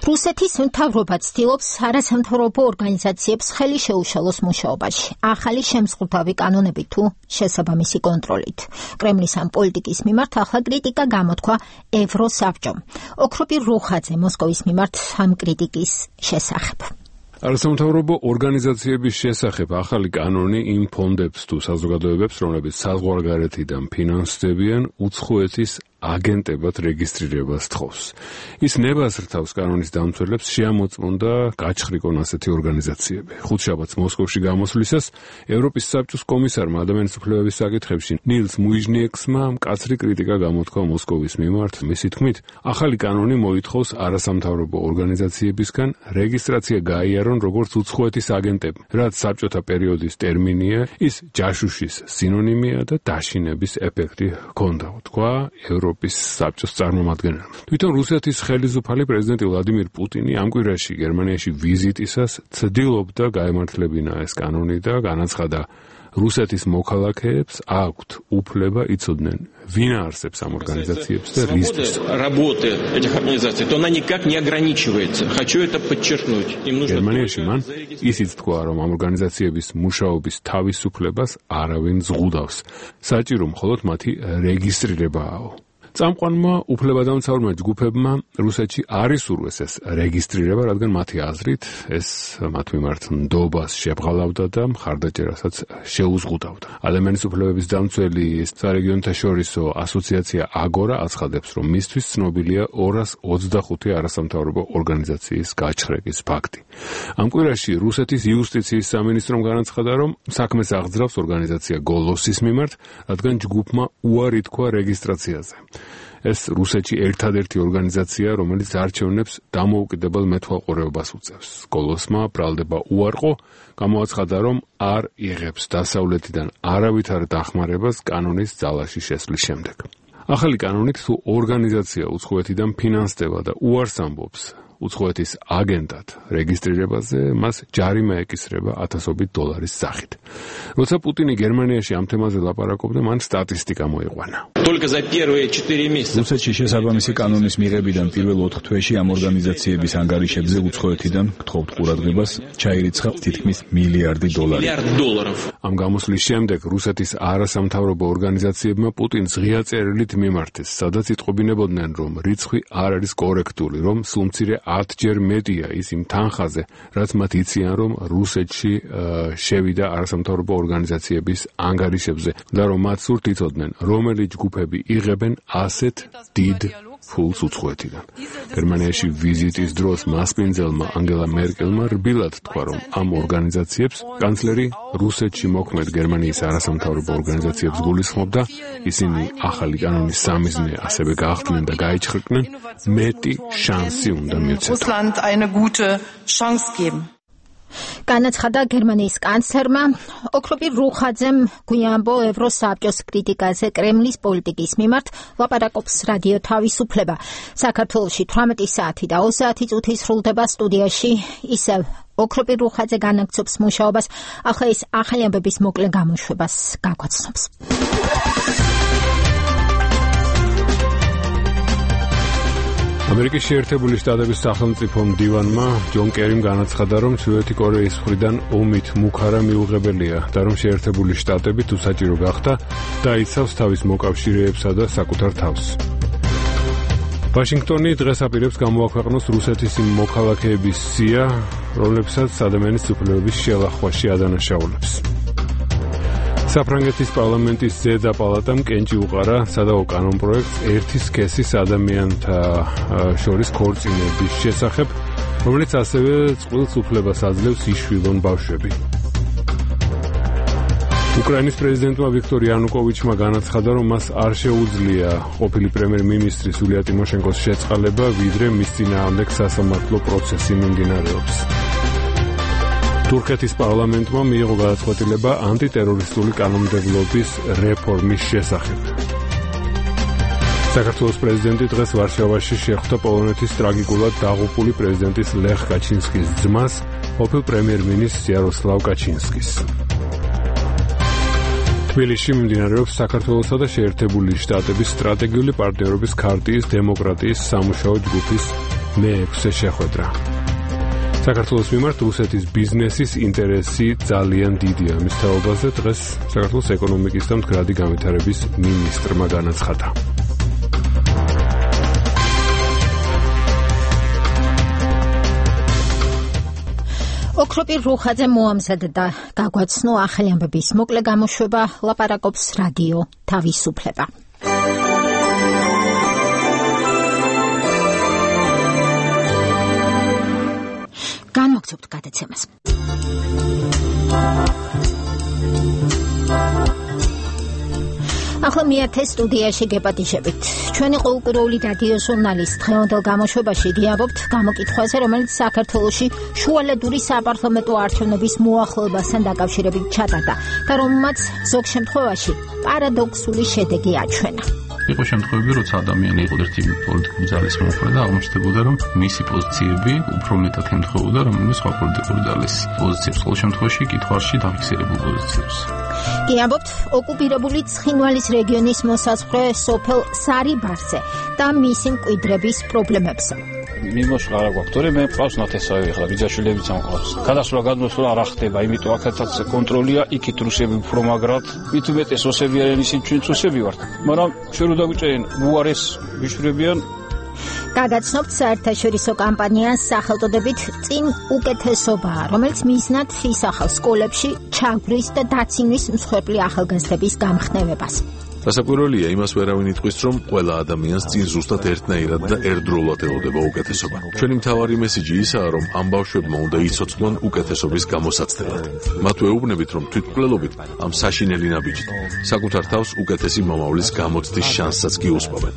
რუსეთის მთავრობა ცდილობს არასამთავრობო ორგანიზაციებს ხელი შეუშალოს მუშაობაში, ახალი შემსხვრდავი კანონები თუ შესაბამისი კონტროლით. კრემლის ამ პოლიტიკის მიმართ ახლა კრიტიკა გამოთქვა ევროსაბჭომ. ოქროპირ რუხაძე მოსკოვის მიმართ ამ კრიტიკის შესახებ. არასამთავრობო ორგანიზაციების შესახებ ახალი კანონი იმ ფონდებს თუ საზოგადოებებს, რომლებიც საზღვარგარეთიდან ფინანსდებიან, უცხოეთის აგენტებად რეგისტრირებას თხოვს. ის ნებას რთავს კანონის დამცველებს შეამოწმუნდა გაჩხრიკონ ასეთი ორგანიზაციები. ხუთშაბათს მოსკოვში გამოსვლისას ევროპის საბჭოს კომისარმა ადამიანის უფლებების საკითხებში ნილს მუიჟნიექსმა მკაცრი კრიტიკა გამოთქვა მოსკოვის მიმართ. მისი თქმით, ახალი კანონი მოითხოვს არასამთავრობო ორგანიზაციებისგან რეგისტრაცია გაიარონ როგორც უცხოეთის აგენტები, რაც საბჭოთა პერიოდის ტერმინია, ის ჯაშუშის სინონიმია და დაშინების ეფექტი ჰქონდა, თქვა ევროპის საბჭოს წარმომადგენელმა. თვითონ რუსეთის ხელისუფალი პრეზიდენტი ვლადიმირ პუტინი ამ კვირაში გერმანიაში ვიზიტისას ცდილობდა გაემართლებინა ეს კანონი და განაცხადა, რუსეთის მოქალაქეებს აქვთ უფლება იცოდნენ, ვინ არსებს ამ ორგანიზაციებს და რისთვის. გერმანიაში მან ისიც თქვა, რომ ამ ორგანიზაციების მუშაობის თავისუფლებას არავინ ზღუდავს. საჭირო მხოლოდ მათი რეგისტრირებაა. წამყვანმა უფლებადამცავმა ჯგუფებმა რუსეთში არ ისურვეს ეს რეგისტრირება, რადგან მათი აზრით ეს მათ მიმართ ნდობას შებრალავდა და მხარდაჭერასაც შეუზღუდავდა. ადამიანის უფლებების დამცველი სარეგიონთაშორისო ასოციაცია აგორა აცხადებს, რომ მისთვის ცნობილია ორას ოცდახუთი არასამთავრობო ორგანიზაციის გაჩხრიკის ფაქტი. ამ კვირაში რუსეთის იუსტიციის სამინისტრომ განაცხადა, რომ საქმეს აღძრავს ორგანიზაცია გოლოსის მიმართ, რადგან ჯგუფმა უარი თქვა რეგისტრაციაზე. ეს რუსეთში ერთადერთი ორგანიზაცია, რომელიც არჩევნებს დამოუკიდებელ მეთვალყურეობას უწევს. გოლოსმა ბრალდება უარყო, გამოაცხადა, რომ არ იღებს დასავლეთიდან არავითარ დახმარებას კანონის ძალაში შესვლის შემდეგ. ახალი კანონით თუ ორგანიზაცია უცხოეთიდან ფინანსდება და უარს ამბობს უცხოეთის აგენტად რეგისტრირებაზე, მას ჯარიმა ეკისრება ათასობით დოლარის სახით. როცა პუტინი გერმანიაში ამ თემაზე ლაპარაკობდა, მან სტატისტიკა მოიყვანა. რუსეთში შესაბამისი კანონის მიღებიდან პირველ ოთხ თვეში ამ ორგანიზაციების ანგარიშებზე უცხოეთიდან გთხოვთ ყურადღებას ჩაირიცხა თითქმის მილიარდი დოლარი. ამ გამოსვლის შემდეგ რუსეთის არასამთავრობო ორგანიზაციებმა პუტინს ღია წერილით მიმართეს, სადაც იტყობინებოდნენ, რომ რიცხვი არ არის კორექტული, რომ სულ მცირე ათჯერ მეტია ის იმ თანხაზე, რაც მათ იციან, რომ რუსეთში შევიდა არასამთავრობო ორგანიზაციების ანგარიშებზე და რომ მათ სურთ იცოდნენ, რომელი ჯგუფები იღებენ ასეთ დიდ ფულს უცხოეთიდან. გერმანიაში ვიზიტის დროს მასპინძელმა ანგელა მერკელმა რბილად თქვა, რომ ამ ორგანიზაციებს კანცლერი რუსეთში მოქმედ გერმანიის არასამთავრობო ორგანიზაციებს გულისხმობდა, ისინი ახალი კანონის სამიზნე ასევე გაახდნენ და გაიჩხრნენ, მეტი შანსი უნდა მიეცეს. განაცხადა გერმანიის კანცლერმა ოქროპირ რუხაძემ გვიანბო ევროსაბჭოს კრიტიკაზე კრემლის პოლიტიკის მიმართ ლაპარაკობს რადიო თავისუფლება. საქართველოში თვრამეტი საათი და ოცდაათი წუთი სრულდება სტუდიაში ისევ ოქროპირ რუხაძე განაგრძობს მუშაობას, ახლა ის ახალი ამბების მოკლე გამოშვებას გაგვაცნობს. ამერიკის შეერთებული შტატების სახელმწიფო მდივანმა ჯონ კერიმ განაცხადა, რომ ჩრდილოეთი კორეის მხრიდან ომით მუქარა მიუღებელია და რომ შეერთებული შტატები თუ საჭირო გახდა დაიცავს თავის მოკავშირეებსა და საკუთარ თავს. ვაშინგტონი დღეს აპირებს გამოაქვეყნოს რუსეთის იმ მოქალაქეების სია, რომლებსაც ადამიანის უფლებების შელახვაში ადანაშაულებს. საფრანგეთის პარლამენტის ზედა პალატამ კენჭი უყარა სადავო კანონპროექტს ერთი სქესის ადამიანთა შორის ქორწინების შესახებ, რომელიც ასევე წყვილს უფლებას აძლევს იშვილონ ბავშვები. უკრაინის პრეზიდენტმა ვიქტორ იანუკოვიჩმა განაცხადა, რომ მას არ შეუძლია ყოფილი პრემიერ-მინისტრის იულია ტიმოშენკოს შეწყალება, ვიდრე მის წინააღმდეგ სასამართლო პროცესი მიმდინარეობს. თურქეთის პარლამენტმა მიიღო გადაწყვეტილება ანტიტერორისტული კანონმდებლობის რეფორმის შესახებ. საქართველოს პრეზიდენტი დღეს ვარშავაში შეხვდა პოლონეთის ტრაგიკულად დაღუპული პრეზიდენტის ლეხ კაჩინსკის ძმას, ყოფილ პრემიერ-მინისტრს იაროსლავ კაჩინსკის. თბილისში მიმდინარეობს საქართველოსა და შეერთებული შტატების სტრატეგიული პარტნიორობის ქარტიის დემოკრატიის სამუშაო ჯგუფის მეექვსე შეხვედრა. საქართველოს მიმართ რუსეთის ბიზნესის ინტერესი ძალიან დიდია. მის თაობაზე დღეს საქართველოს ეკონომიკის და მდგრადი განვითარების მინისტრმა განაცხადა. ოქროპირ რუხაძე მოამზადდა გაგვაცნო ახალი ამბების მოკლე გამოშვება, ლაპარაკობს რადიო თავისუფლება. განმოგცემთ გადაცემას. ახლა მიათე სტუდიაში გეპატიჟებით. ჩვენი ყოველკვირეული რადიო ჟურნალის დღევანდელ გამოშვებაში გიამბობთ გამოკითხვაზე, რომელიც საქართველოში შუალედური საპარლამენტო არჩევნების მოახლოებასთან დაკავშირებით ჩატარდა და რომელმაც ზოგ შემთხვევაში პარადოქსული შედეგი აჩვენა. იყო შემთხვევები, როცა ადამიანი იყო ერთი პოლიტიკური ძალის მომხრე და აღმოჩნდებოდა, რომ მისი პოზიციები უფრო მეტად ემთხვეოდა რომელიმე სხვა პოლიტიკური ძალის პოზიციებს, ყოველ შემთხვევაში კითხვაში დაფიქსირებულ პოზიციებს. გიამბობთ ოკუპირებული ცხინვალის რეგიონის მოსაზღვრე სოფელ სარიბარზე და მისი მკვიდრების პრობლემებზე. მიმოშ არა გვაქვს, თორე მე მყავს ნათესავი ახლა ბიძაშვილებიც ამყავს. გადასვლა გადმოსვლა არ ახდება, იმიტომ აქაც კონტროლია, იქით რუსები უფრო მაგრად, მით უმეტეს ოსები არიან, ისინი ჩვენ წუსები ვართ. მაგრამ ჩვენ რო დაგვიწერენ უარეს ვიშვრებიან. გადაცნობთ საერთაშორისო კამპანიას სახელწოდებით წინ უკეთესობაა, რომელიც მიზნად ისახავს სკოლებში ჩაგვრის და დაცინვის მსხვერპლი ახალგაზრდების გამხნევებას. დასაკვირველია იმას ვერავინ იტყვის, რომ ყველა ადამიანს წინ ზუსტად ერთნაირად და ერთდროულად ელოდება უკეთესობა. ჩვენი მთავარი მესიჯი ისაა, რომ ამ ბავშვებმა უნდა იცოცხლონ უკეთესობის გამოსაცდელად. მათ ვეუბნებით, რომ თვითმკვლელობით ამ საშინელი ნაბიჯით საკუთარ თავს უკეთესი მომავლის გამოცდის შანსსაც გიუსპობენ.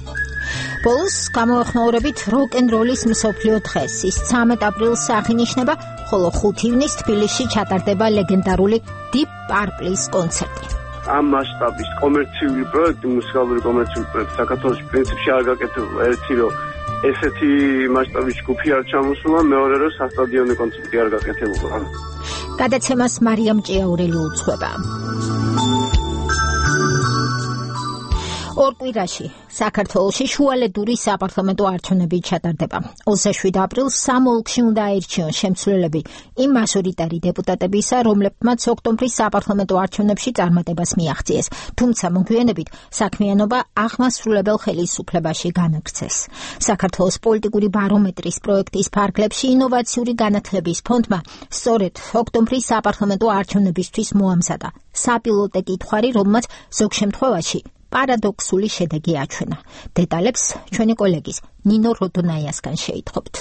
ბოლოს გამოეხმაურებით როკ-ენ-როლის მსოფლიო დღეს. ის ცამეტ აპრილს აღინიშნება, ხოლო ხუთი ივნისს თბილისში ჩატარდება ლეგენდარული Deep Purple-ის კონცერტი. ამ მასშტაბის კომერციული პროექტი, მუსიკალური კომერციული პროექტი საქართველოში პრინციპში არ გაკეთებულა. ერთი რომ ესეთი მასშტაბის ჯგუფი არ ჩამოსულა, მეორე რომ სასტადიონო კონცერტი არ გაკეთებულა. გადაცემას მარიამ ჭიაურელი უძღვება. ორ კვირაში საქართველოში შუალედური საპარლამენტო არჩევნები ჩატარდება. ოცდაშვიდი აპრილს სამ ოლქში უნდა აირჩიონ შემცვლელები იმ მაჟორიტარი დეპუტატებისა, რომლებმაც ოქტომბრის საპარლამენტო არჩევნებში წარმატებას მიაღწიეს. თუმცა მოგვიანებით საქმიანობა აღმასრულებელ ხელისუფლებაში განაგრძეს. საქართველოს პოლიტიკური ბარომეტრის პროექტის ფარგლებში ინოვაციური განათლების ფონდმა სწორედ ოქტომბრის საპარლამენტო არჩევნებისთვის მოამზადა საპილოტე კითხვარი, რომელმაც ზოგ შემთხვევაში პარადოქსული შედეგი აჩვენა. დეტალებს ჩვენი კოლეგის ნინო როდონაიასგან შეითხოვთ.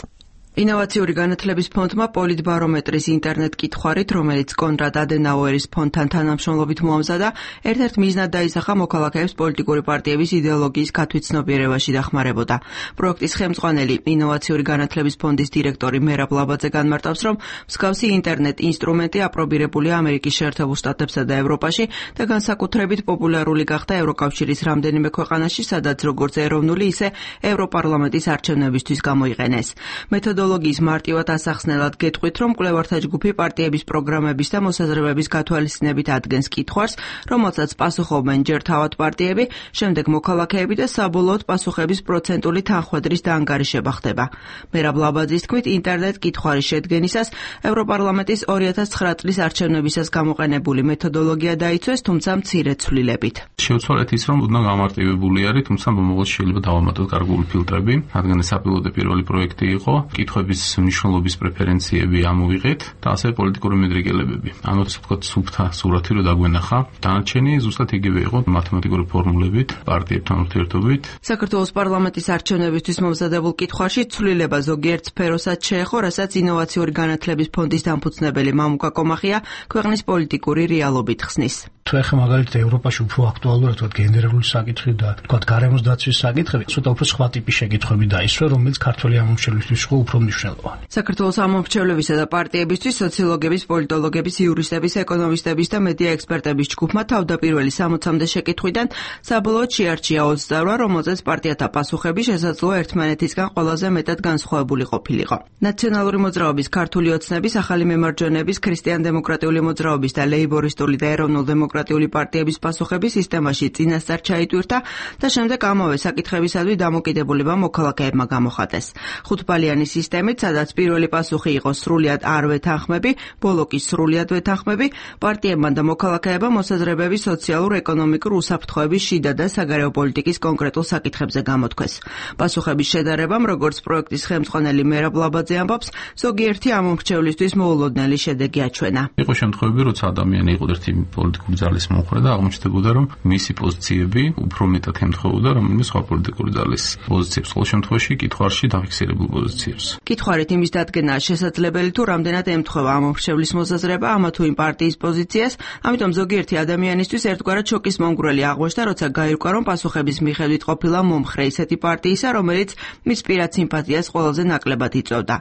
ინოვაციური განათლების ფონდმა პოლიტბარომეტრის ინტერნეტ კითხვარით, რომელიც კონრად ადენაუერის ფონდთან თანამშრომლობით მოამზადა, ერთ-ერთ მიზნად დაისახა მოქალაქეებს პოლიტიკური პარტიების იდეოლოგიის გათვით ცნობიერებაში დახმარებოდა. პროექტის ხელმძღვანელი ინოვაციური განათლების ფონდის დირექტორი მერაბ ლაბაძე განმარტავს, რომ მსგავსი ინტერნეტ ინსტრუმენტი აპრობირებულია ამერიკის შეერთებულ შტატებსა და ევროპაში და განსაკუთრებით პოპულარული გახდა ევროკავშირის რამდენიმე ქვეყანაში, სადაც როგორც ეროვნული, ისე ევროპარლამენტის არჩევნებისთვის გამოიყენეს. მეთოდოლოგიის მარტივად ასახსნელად გეტყვით, რომ მკვლევართა ჯგუფი პარტიების პროგრამების და მოსაზრებების გათვალისწინებით ადგენს კითხვარს, რომელსაც პასუხობენ ჯერ თავად პარტიები, შემდეგ მოქალაქეები და საბოლოოდ პასუხების პროცენტული თანხმედრის დაანგარიშება ხდება. მერაბ ლაბაძის თქმით, ინტერნეტ კითხვარის შედგენისას ევროპარლამენტის ორი ათას ცხრა წლის არჩევნებისას გამოყენებული მეთოდოლოგია დაიცვეს, თუმცა მცირე ცვლილებით. შევცვალეთ ის, რომ უდნა გამარტივებული არის, თუმცა მომავალში შეიძლება დავამატოთ გარკვეული ფილტრები, რადგან ეს საპილოტო პირველი პროექტი იყო. კითხვების მნიშვნელობის პრეფერენციები ამოვიღეთ და ასევე პოლიტიკური მედრიგელებები. ანუ ასე ვთქვათ, სუფთა სურათი რო დაგვენახა. დანარჩენი ზუსტად იგივე იყო მათემატიკური ფორმულებით, პარტიებთან ურთიერთობით. საქართველოს პარლამენტის არჩევნებისთვის მომზადებულ კითხვაში ცვლილება ზოგიერთ სფეროსაც შეეხო, რასაც ინოვაციური განათლების ფონდის დამფუძნებელი მამუკა კომახია ქვეყნის პოლიტიკური რეალობით ხსნის. თუ ეხლა მაგალითად ევროპაში უფრო აქტუალურია თქვა გენერალური საკითხი და თქვა გარემოს დაცვის საკითხები, ცოტა უფრო სხვა ტიპის შეკითხვები დაისვა, რომელიც ქართველი ამომრჩევლისთვის იყო უფრო მნიშვნელოვანი. საქართველოს ამომრჩევლებისა და პარტიებისთვის სოციოლოგების, პოლიტოლოგების, იურისტების, ეკონომისტების და მედია ექსპერტების ჯგუფმა თავდაპირველი სამოცამდე შეკითხვიდან საბოლოოდ შეარჩია ოცი წარვა, რომელზეც პარტიათა პასუხები შესაძლოა ერთმანეთისგან ყველაზე მეტად განსხვავებული ყოფილიყო. ნაციონალური მოძრაობის, ქართული ოცნების, ახალი მემარჯვენეების, ქრისტიან-დემოკრატიული მოძრაობის და ლეიბორისტული და ეროვნულ-დემოკრატიული პარტიების პასუხები სისტემაში წინასწარ ჩაიტვირთა და შემდეგ ამავე საკითხებისადმი დამოკიდებულება მოქალაქეებმა გამოხატეს. ხუთბალიანი სისტემით, სადაც პირველი პასუხი იყო სრულიად არ ვეთანხმები, ბოლო კი სრულიად ვეთანხმები, პარტიებმა და მოქალაქეებმა მოსაზრებების სოციალურ-ეკონომიკურ უსაფრთხოების შიდა და საგარეო პოლიტიკის კონკრეტულ საკითხებზე გამოთქვეს. პასუხების შედარებამ, როგორც პროექტის ხელმძღვანელი მერაბ ლაბაძე ამბობს, ზოგიერთი ამომრჩევლისთვის მოულოდნელი შედეგი აჩვენა. იყო შემთხვევები, როცა ადამიანი იყო ერთი პოლიტიკური ძალის მომხრე და აღმოჩნდებოდა, რომ მისი პოზიციები უფრო მეტად ემთხვეოდა რომელიმე სხვა პოლიტიკური ძალის პოზიციებს, ხოლო შემთხვევაში კითხვარში დაფიქსირებულ პოზიციებს. კითხვარით იმის დადგენაა შესაძლებელი, თუ რამდენად ემთხვევა ამომრჩევლის მოსაზრება ამა თუ იმ პარტიის პოზიციას, ამიტომ ზოგიერთი ადამიანისთვის ერთგვარად შოკის მომგვრელი აღმოჩნდა, როცა გაირკვა, რომ პასუხების მიხედვით ყოფილა მომხრე ისეთი პარტიისა, რომელიც მის პირად სიმპათიას ყველაზე ნაკლებად იწვევდა.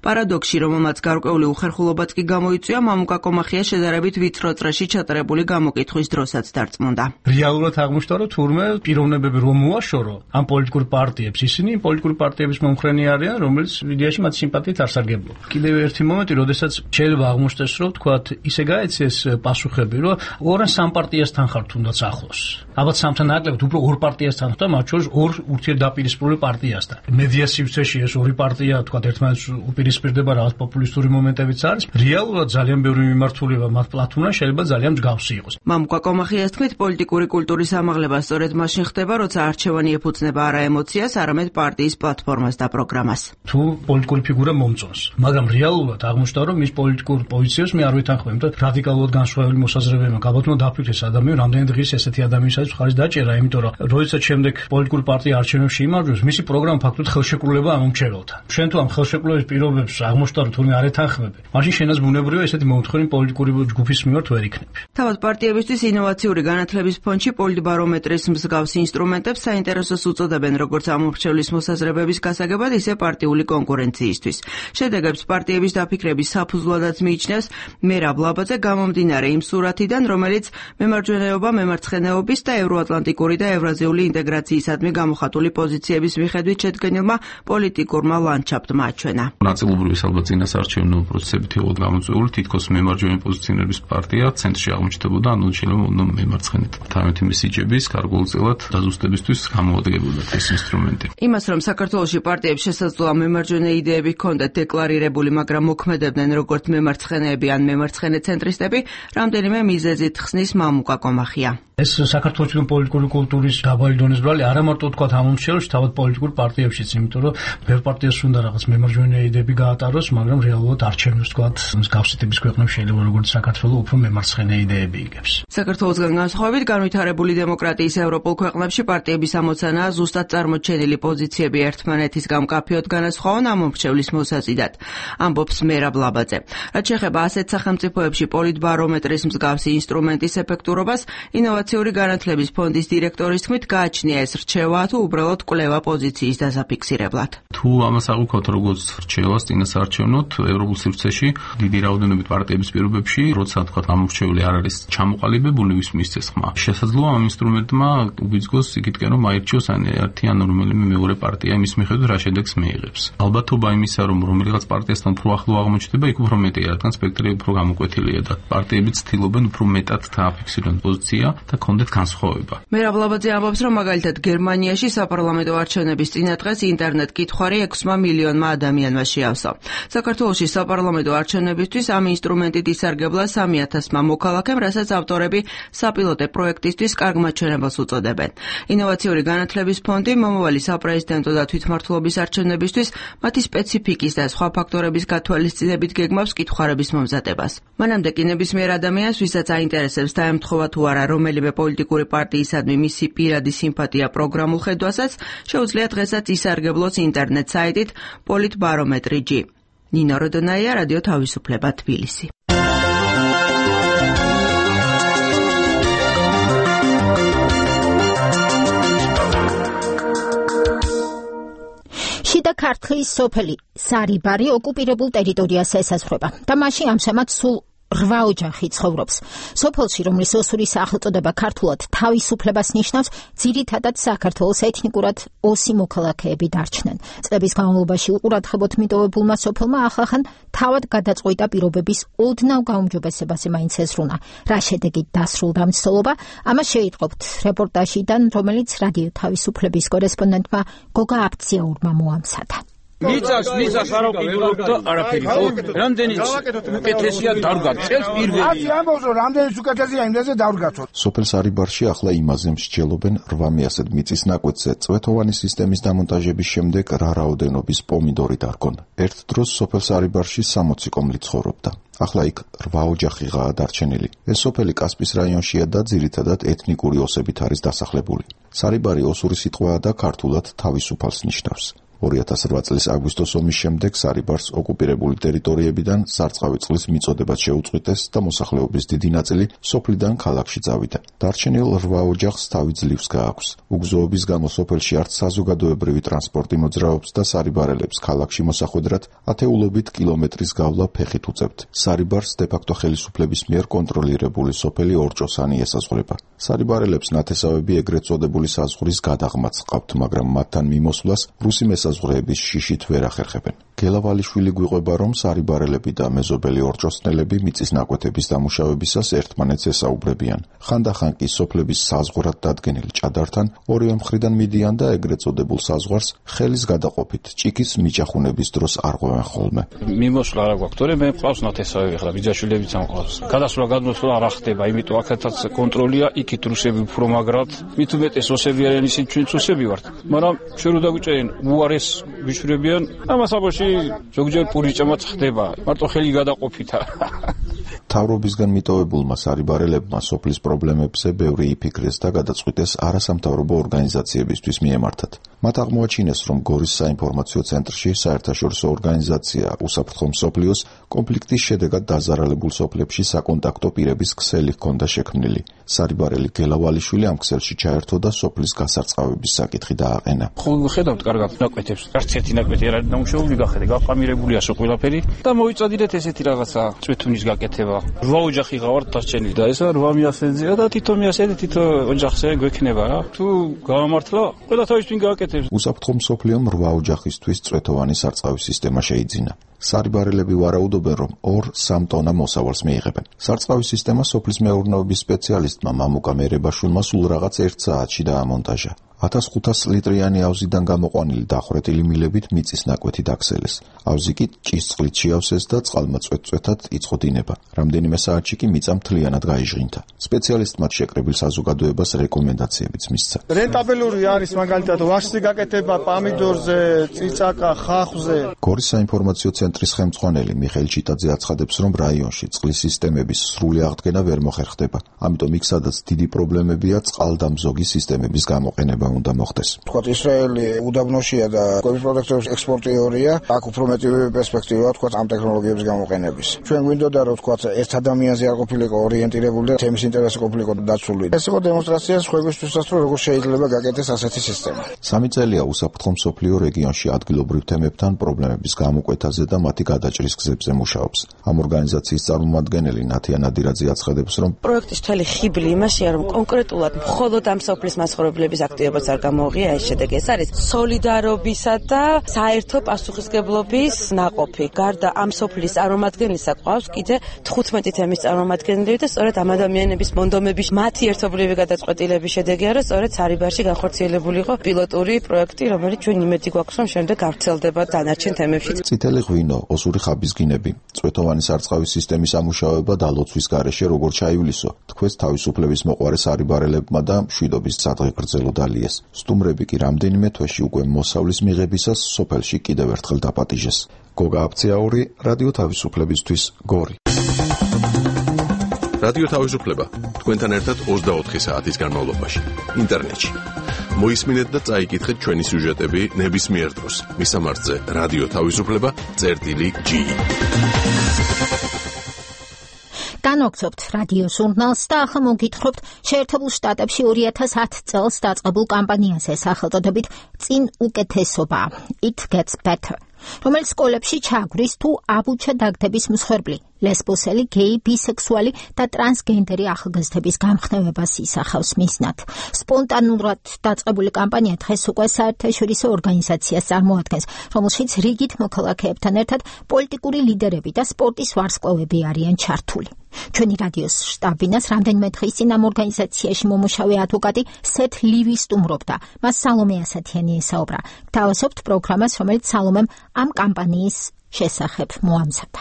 პარადოქსი, რომელმაც გარკვეული უხერხულობაც კი გამოიწვია, მამუკა კომახია შედარებით ვიწრო წრეში ჩატარებული გამოკითხვის დროსაც დარწმუნდა. რეალურად აღმოჩნდა, რომ თურმე პიროვნებები რომ მოაშორო ამ პოლიტიკურ პარტიებს, ისინი პოლიტიკური პარტიების მომხრენი არიან, რომელიც იდეაში მათ სიმპათიით არ სარგებლობ. კიდევ ერთი მომენტი, როდესაც შეიძლება აღმოჩნდეს, რომ თქვათ, ისე გაეცეს პასუხები, რომ ორ ან სამ პარტიასთან ხარ თუნდაც ახლოს. ალბათ სამთან ნაკლებად უფრო ორ პარტიასთან ხარ, მათ შორის ორ ურთიერთდაპირისპირებული პარტიასთან. მედია სივრცეში ეს ორი პარტია, თქვათ, ერთმანეთს უპირისპირდება, რაღაც პოპულისტური მომენტებიც არის. რეალურად ძალიან ბევრი მიმართულება მათ პლატფორმაში შეიძლება ძალიან მსგავსი იყოს. მამუკა კომახიას თქმით, პოლიტიკური კულტურის ამაღლება სწორედ მაშინ ხდება, როცა არჩევანი ეფუძნება არა ემოციას, არამედ პარტიის პლატფორმას და პროგრამას. თუ პოლიტიკური ფიგურა მომწონს, მაგრამ რეალურად აღმოჩნდა, რომ მის პოლიტიკურ პოზიციებს მე არ ვეთანხმებ, იმიტომ რადიკალურად განსხვავებული მოსაზრებებია. გაბატონო დაფიქრეს ადამიანი, რამდენი დღის ესეთი ადამიანისათვის ხარის დაჭერა, იმიტომ რომ როდესაც შემდეგ პოლიტიკური პარტია არჩევნებში იმარჯვებს, მისი პროგრამა ფაქტობრივად ხელშეკრულება ამომრჩეველთან. შენ თუ ამ ხელშეკრულების პირობებს აღმოჩნდა, რომ თურმე არ ეთანხმები, მაშინ შენაც ბუნებრივია ესეთი მომთხოვნი პოლიტიკური ჯგუფის მიმართ ვერ იქნები. თავად პარტიებისთვის ინოვაციური განათლების ფონდში პოლიტბარომეტრის მსგავს ინსტრუმენტებს საინტერესოს უწოდებენ როგორც ამომრჩევლის მოსაზრებების გასაგებად, ისე პარტიული კონკურენციისთვის. შედეგებს პარტიების დაფიქრების საფუძვლადაც მიიჩნევს მერაბ ლაბაძე გამომდინარე იმ სურათიდან, რომელიც მემარჯვენეობა, მემარცხენეობის და ევროატლანტიკური და ევრაზიული ინტეგრაციისადმი გამოხატული პოზიციების მიხედვით შედგენილმა პოლიტიკურმა ლანდშაფტმა აჩვენა. ნაწილობრივ ალბათ წინასაარჩევნო პროცესებით იყო გამოწვეული, თითქოს მემარჯვენე პოზიციონირების პარტია ცენტრში აღმოჩნდებოდა, ანუ შეიძლება მემარცხენეთ. თამეთი მესიჯების გარკვეულწილად დაზუსტებისთვის გამოადგებოდა ეს ინსტრუმენტი. იმას, რომ საქართველოში პარტიებს შესაძლოა მემარჯვენე იდეები ჰქონდათ დეკლარირებული, მაგრამ მოქმედებდნენ როგორც მემარცხენეები ან მემარცხენე ცენტრისტები, რამდენიმე მიზეზით ხსნის მამუკა კომახია. ეს საქართველოს პოლიტიკური კულტურის დაბალი დონის ბრალი არა მარტო თქვა ამ მომხრეებში, თავად პოლიტიკურ პარტიებშიც, იმიტომ რომ ბევრ პარტიას უნდა რაღაც მემარჯვენე იდეები გაატაროს, მაგრამ რეალურად არჩევნებს თქვა მსგავსი ტიპის ქვეყნებს შეიძლება როგორც საქართველოს უფრო მემარცხენე იდეები იგებს. საქართველოსგან განსხვავებით განვითარებული დემოკრატიის ევროპულ ქვეყნებში პარტიების ამოცანაა ზუსტად წარმოჩენილი პოზიციები ერთმანეთისგან მკაფიოდ განასხვაონ ამ მომრჩევლის მოსაზიდად. ამბობს მერაბ ლაბაძე. რაც შეეხება ასეთ სახელმწიფოებში პოლიტბარომეტრის მსგავსი ინსტრუმენტის ეფექტურობას, ინოვაციური განათლების ფონდის დირექტორის თქმით, გააჩნია ეს რჩევა თუ უბრალოდ კვლევა პოზიციის დასაფიქსირებლად. თუ ამას აღვიქოთ როგორც რჩევას წინასაარჩევნოდ ევროპულ სივრცეში დიდი რაოდენობით პარტიების პირობებში, როცა თქვა ამ მომრჩეველი არ არის ჩამოყალიბებული, ვის მისცეს ხმა. შესაძლოა ამ ინსტრუმენტმა უბიძგოს იქითკენ რომ აირჩიოს ერთი ან რომელიმე მეორე პარტია იმის მიხედვით რა შედეგს მიიღებს. ალბათობა იმისა რომ რომელიღაც პარტიასთან უფრო ახლო აღმოჩნდება, იქ უფრო მეტია, რადგან სპექტრი უფრო გამოკვეთილია და პარტიები ცდილობენ უფრო მეტად დააფიქსირონ პოზიცია და კონდეთ განსხვავება. მერაბ ლაბაძე ამბობს, რომ მაგალითად გერმანიაში საპარლამენტო არჩევნების წინა დღეს ინტერნეტ კითხვარი ექვსმა მილიონმა ადამიანმა შეავსო. საქართველოში საპარლამენტო არჩევნებისთვის ამ ინსტრუმენტით ისარგებლა სამი ათასმა მოქალაქემ, რასაც ავტორები საპილოტე პროექტისთვის კარგ მაჩვენებელს უწოდებენ. ინოვაციური განათლების ფონდი მომავალი საპრეზიდენტო და თვითმმართველობის არჩევნებისთვის მათი სპეციფიკის და სხვა ფაქტორების გათვალისწინებით გეგმავს კითხარების მომზადებას. მანამდე კი ნებისმიერ ადამიანს, ვისაც აინტერესებს დაემთხოვა თუ არა რომელიმე პოლიტიკური პარტიისადმი მისი პირადი სიმპათია პროგრამულ ხედვასაც, შეუძლია დღესაც ისარგებლოს ინტერნეტ საიტით პოლიტბარომეტრი.ჯი. ნინო როდონაია, რადიო თავისუფლება, თბილისი. შიდა ქართლის სოფელი სარიბარი ოკუპირებულ ტერიტორიას ესაზღვრება და მასში ამჟამად სულ რვა ოჯახი ცხოვრობს. სოფელში, რომლის ოსური სახელწოდება ქართულად თავისუფლებას ნიშნავს, ძირითადად საქართველოს ეთნიკურად ოსი მოქალაქეები დარჩნენ. წლების განმავლობაში უყურადღებოდ მიტოვებულმა სოფელმა ახლახან თავად გადაწყვიტა პირობების ოდნავ გაუმჯობესებაზე მაინც ეზრუნა. რა შედეგით დასრულდა მცდელობა, ამას შეიტყობთ რეპორტაჟიდან, რომელიც რადიო თავისუფლების კორესპონდენტმა გოგა აფციაურმა მოამზადა. მიწას მიწას არ აყიდულობ და არაფერი ხო? რამდენიც უკეთესია დარგად წელს პირველი. აცი ამბობს რომ რამდენიც უკეთესია იმდენზე დავრგაცოთ. სოფელ სარიბარში ახლა იმაზე მსჯელობენ რვა მიასად მიწის ნაკვეთზე წვეთოვანი სისტემის დამონტაჟების შემდეგ რა რაოდენობის პომიდორი დარგონ. ერთ დროს სოფელ სარიბარში სამოცი კომლი ცხოვრობდა. ახლა იქ რვა ოჯახიღაა დარჩენილი. ეს სოფელი კასპის რაიონშია და ძირითადად ეთნიკური ოსებით არის დასახლებული. სარიბარი ოსური სიტყვაა და ქართულად თავისუფალს ნიშნავს. ორი ათას რვა წლის აგვისტოს ომის შემდეგ სარიბარს ოკუპირებული ტერიტორიებიდან სარწყავი წყლის მიწოდებაც შეუწყვიტეს და მოსახლეობის დიდი ნაწილი სოფლიდან ქალაქში წავიდა. დარჩენილ რვა ოჯახს თავი ძლივს გააქვს. უგზოობის გამო სოფელში არც საზოგადოებრივი ტრანსპორტი მოძრაობს და სარიბარელებს ქალაქში მოსახვედრად ათეულობით კილომეტრის გავლა ფეხით უწევთ. სარიბარს დე-ფაქტო ხელისუფლების მიერ კონტროლირებული სოფელი ორჭოსანი ესაზღვრება. სარიბარელებს ნათესავები ეგრეთ წოდებული საზღვრის გადაღმაც ყავთ, მაგრამ მათთან მიმოსვლას რუსი საზღვრების შიშით ვერ ახერხებენ. გელავალიშვილი გვიყვება, რომ სარიბარელები და მეზობელი ორჭოსნელები მიწის ნაკვეთების დამუშავებისას ერთმანეთს ესაუბრებიან. ხანდახან კი სოფლების საზღვრად დადგენილ ჭადართან ორივე მხრიდან მიდიან და ეგრეთ წოდებულ საზღვარს ხელის გადაყოფით ჭიქის მიჭახუნების დროს არღვევენ ხოლმე. მიმოსვლა არა გვაქვს, თორე მე მყავს ნათესავები ხლა, ბიძაშვილებიც ამყავს. გადასვლა გადმოსვლა არ ხდება, იმიტომ აქეთაც კონტროლია, იქით რუსები უფრო მაგრად, მით უმეტეს ოსები არიან, ისინი ჩვენც ოსები ვართ. მაგრამ შენ რო დაგვიჭერენ უარეს ვიშვებიან, ამას აბოში ზოგჯერ პურიჭამაც ხდება, მარტო ხელი გადაყოფითა. მთავრობისგან მიტოვებულმა სარიბარელებმა სოფლის პრობლემებზე ბევრი იფიქრეს და გადაწყვიტეს არასამთავრობო ორგანიზაციებისთვის მიემართათ. მათ აღმოაჩინეს, რომ გორის საინფორმაციო ცენტრში საერთაშორისო ორგანიზაცია უსაფრთხო მსოფლიოს კონფლიქტის შედეგად დაზარალებულ სოფლებში საკონტაქტო პირების ქსელი ჰქონდა შექმნილი. სარიბარელი გელავალიშვილი ამ ქსელში ჩაერთო და სოფლის გასარწყავების საკითხი დააყენა. ხო ხედავთ კარგად ნაკვეთებს, არც ერთი ნაკვეთი არ არის დამუშავებული, გახედე, გაყამირებულია სო ყველაფერი და მოიწოდეთ ესეთი რაღაცა წვეთუნის გაკეთება. რვა ოჯახი გავართ დარჩენილი და ესა რვა მიასენზია და თითო მიასენზე თითო ოჯახზე გვექნება რა. თუ გამართლა, ყველა თავის თვინ გააკეთებს. უსაფრთხო მსოფლიომ რვა ოჯახისთვის წვეთოვანი სარწყავის სისტემა შეიძინა. სარიბარელები ვარაუდობენ, რომ ორ-სამ ტონა მოსავალს მიიღებენ. სარწყავი სისტემა სოფლის მეურნეობის სპეციალისტმა მამუკა მერებაშვილმა სულ რაღაც ერთ საათში დაამონტაჟა. ათას ხუთას ლიტრიანი ავზიდან გამოყვანილი დახვრეტილი მილებით მიწის ნაკვეთი დაქსელეს. ავზი კი ჭისწყლით შეავსეს და წყალმა წვეტ-წვეთად იწყო დინება. რამდენიმე საათში კი მიწა მთლიანად გაიჟღინდა. სპეციალისტმა შეკრებილ საზოგადოებას რეკომენდაციებიც მისცა. რენტაბელური არის მაგალითად ვაშლი გაკეთება პამიდორზე, წიწაკა, ხახვზე. გორის საინფორმაციო ცენტრის ხელმძღვანელი მიხეილ ჩიტაძე აცხადებს, რომ რაიონში წყლის სისტემების სრული აღდგენა ვერ მოხერხდება. ამიტომ იქ სადაც დიდი პრობლემებია წყალდამზოგი სისტემების გამოყენება უნდა მოხდეს. თქვა ისრაელი უდაბნოშია და კვების პროდუქტების ექსპორტიორია, აქ უფრო მეტი პერსპექტივაა თქვა ამ ტექნოლოგიების გამოყენების. ჩვენ გვინდოდა რომ თქვა ერთ ადამიანზე არ ყოფილიყო ორიენტირებული და თემის ინტერესი ყოფილიყო დაცული. ეს იყო დემონსტრაცია სხვებისთვისაც, რომ როგორ შეიძლება გაკეთდეს ასეთი სისტემა. სამი წელია უსაფრთხო მსოფლიო რეგიონში ადგილობრივ თემებთან პრობლემების გამოკვეთაზე და მათი გადაჭრის გზებზე მუშაობს. ამ ორგანიზაციის წარმომადგენელი ნათია ნადირაძე აცხადებს, რომ პროექტის მთელი ხიბლი იმაშია, რომ კონკრეტულად მხოლოდ ამ სოფლის მაცხოვრებლების აქტივობა არ გამოღია ეს შედეგი. ეს არის სოლიდარობისა და საერთო პასუხისგებლობის ნაყოფი. გარდა ამ სოფლის წარმომადგენლისა ყავს კიდე თხუთმეტი თემის წარმომადგენლები და სწორედ ამ ადამიანების მონდომების მათი ერთობლივი გადაწყვეტილების შედეგია, რომ სწორედ სარიბარში განხორციელებული იყო პილოტური პროექტი, რომელიც ჩვენ იმედი გვაქვს, რომ შემდეგ გავრცელდება დანარჩენ თემებში. წითელი ღვინო, ოსური ხაბისგინები, წვეთოვანი სარწყავის სისტემის ამუშავება და ლოცვის გარეშე როგორ ჩაივლისო, თქვენს თავისუფლების მოყვარე სარიბარელებმა და მშვიდობის სადღე გრძელო დალიეს. სტუმრები კი რამდენიმე თვეში უკვე მოსავლის მიღებისას სოფელში კიდევ ერთხელ დაპატიჟეს. გოგა აფციაური, რადიო თავისუფლებისთვის, გორი. რადიო თავისუფლება თქვენთან ერთად ოცდაოთხი საათის განმავლობაში ინტერნეტში. მოისმინეთ და წაიკითხეთ ჩვენი სიუჟეტები ნებისმიერ დროს. მისამართზე რადიო თავისუფლება წერტილი ჯი. განვაგრძობთ რადიო ჟურნალს და ახლა მოგითხრობთ შეერთებულ შტატებში ორი ათას ათი წელს დაწყებულ კამპანიაზე სახელწოდებით წინ უკეთესობა It Gets Better, რომელიც სკოლებში ჩაგვრის თუ აბუჩა დაგდების მსხვერპლი, ლესბოსელი, გეი, ბისექსუალი და ტრანსგენდერი ახალგაზრდების გამხნევებას ისახავს მიზნად. სპონტანურად დაწყებული კამპანია დღეს უკვე საერთაშორისო ორგანიზაციას წარმოადგენს, რომელშიც რიგით მოქალაქეებთან ერთად პოლიტიკური ლიდერები და სპორტის ვარსკვლავები არიან ჩართული. ჩვენი რადიოს შტაბინას რამდენიმე დღის წინ ამ ორგანიზაციაში მომუშავე ადვოკატი სეთ ლივი სტუმრობდა. მას სალომე ასათიანი ესაუბრა. გთავაზობთ პროგრამას, რომელიც სალომემ ამ კამპანიის შესახებ მოამზადა.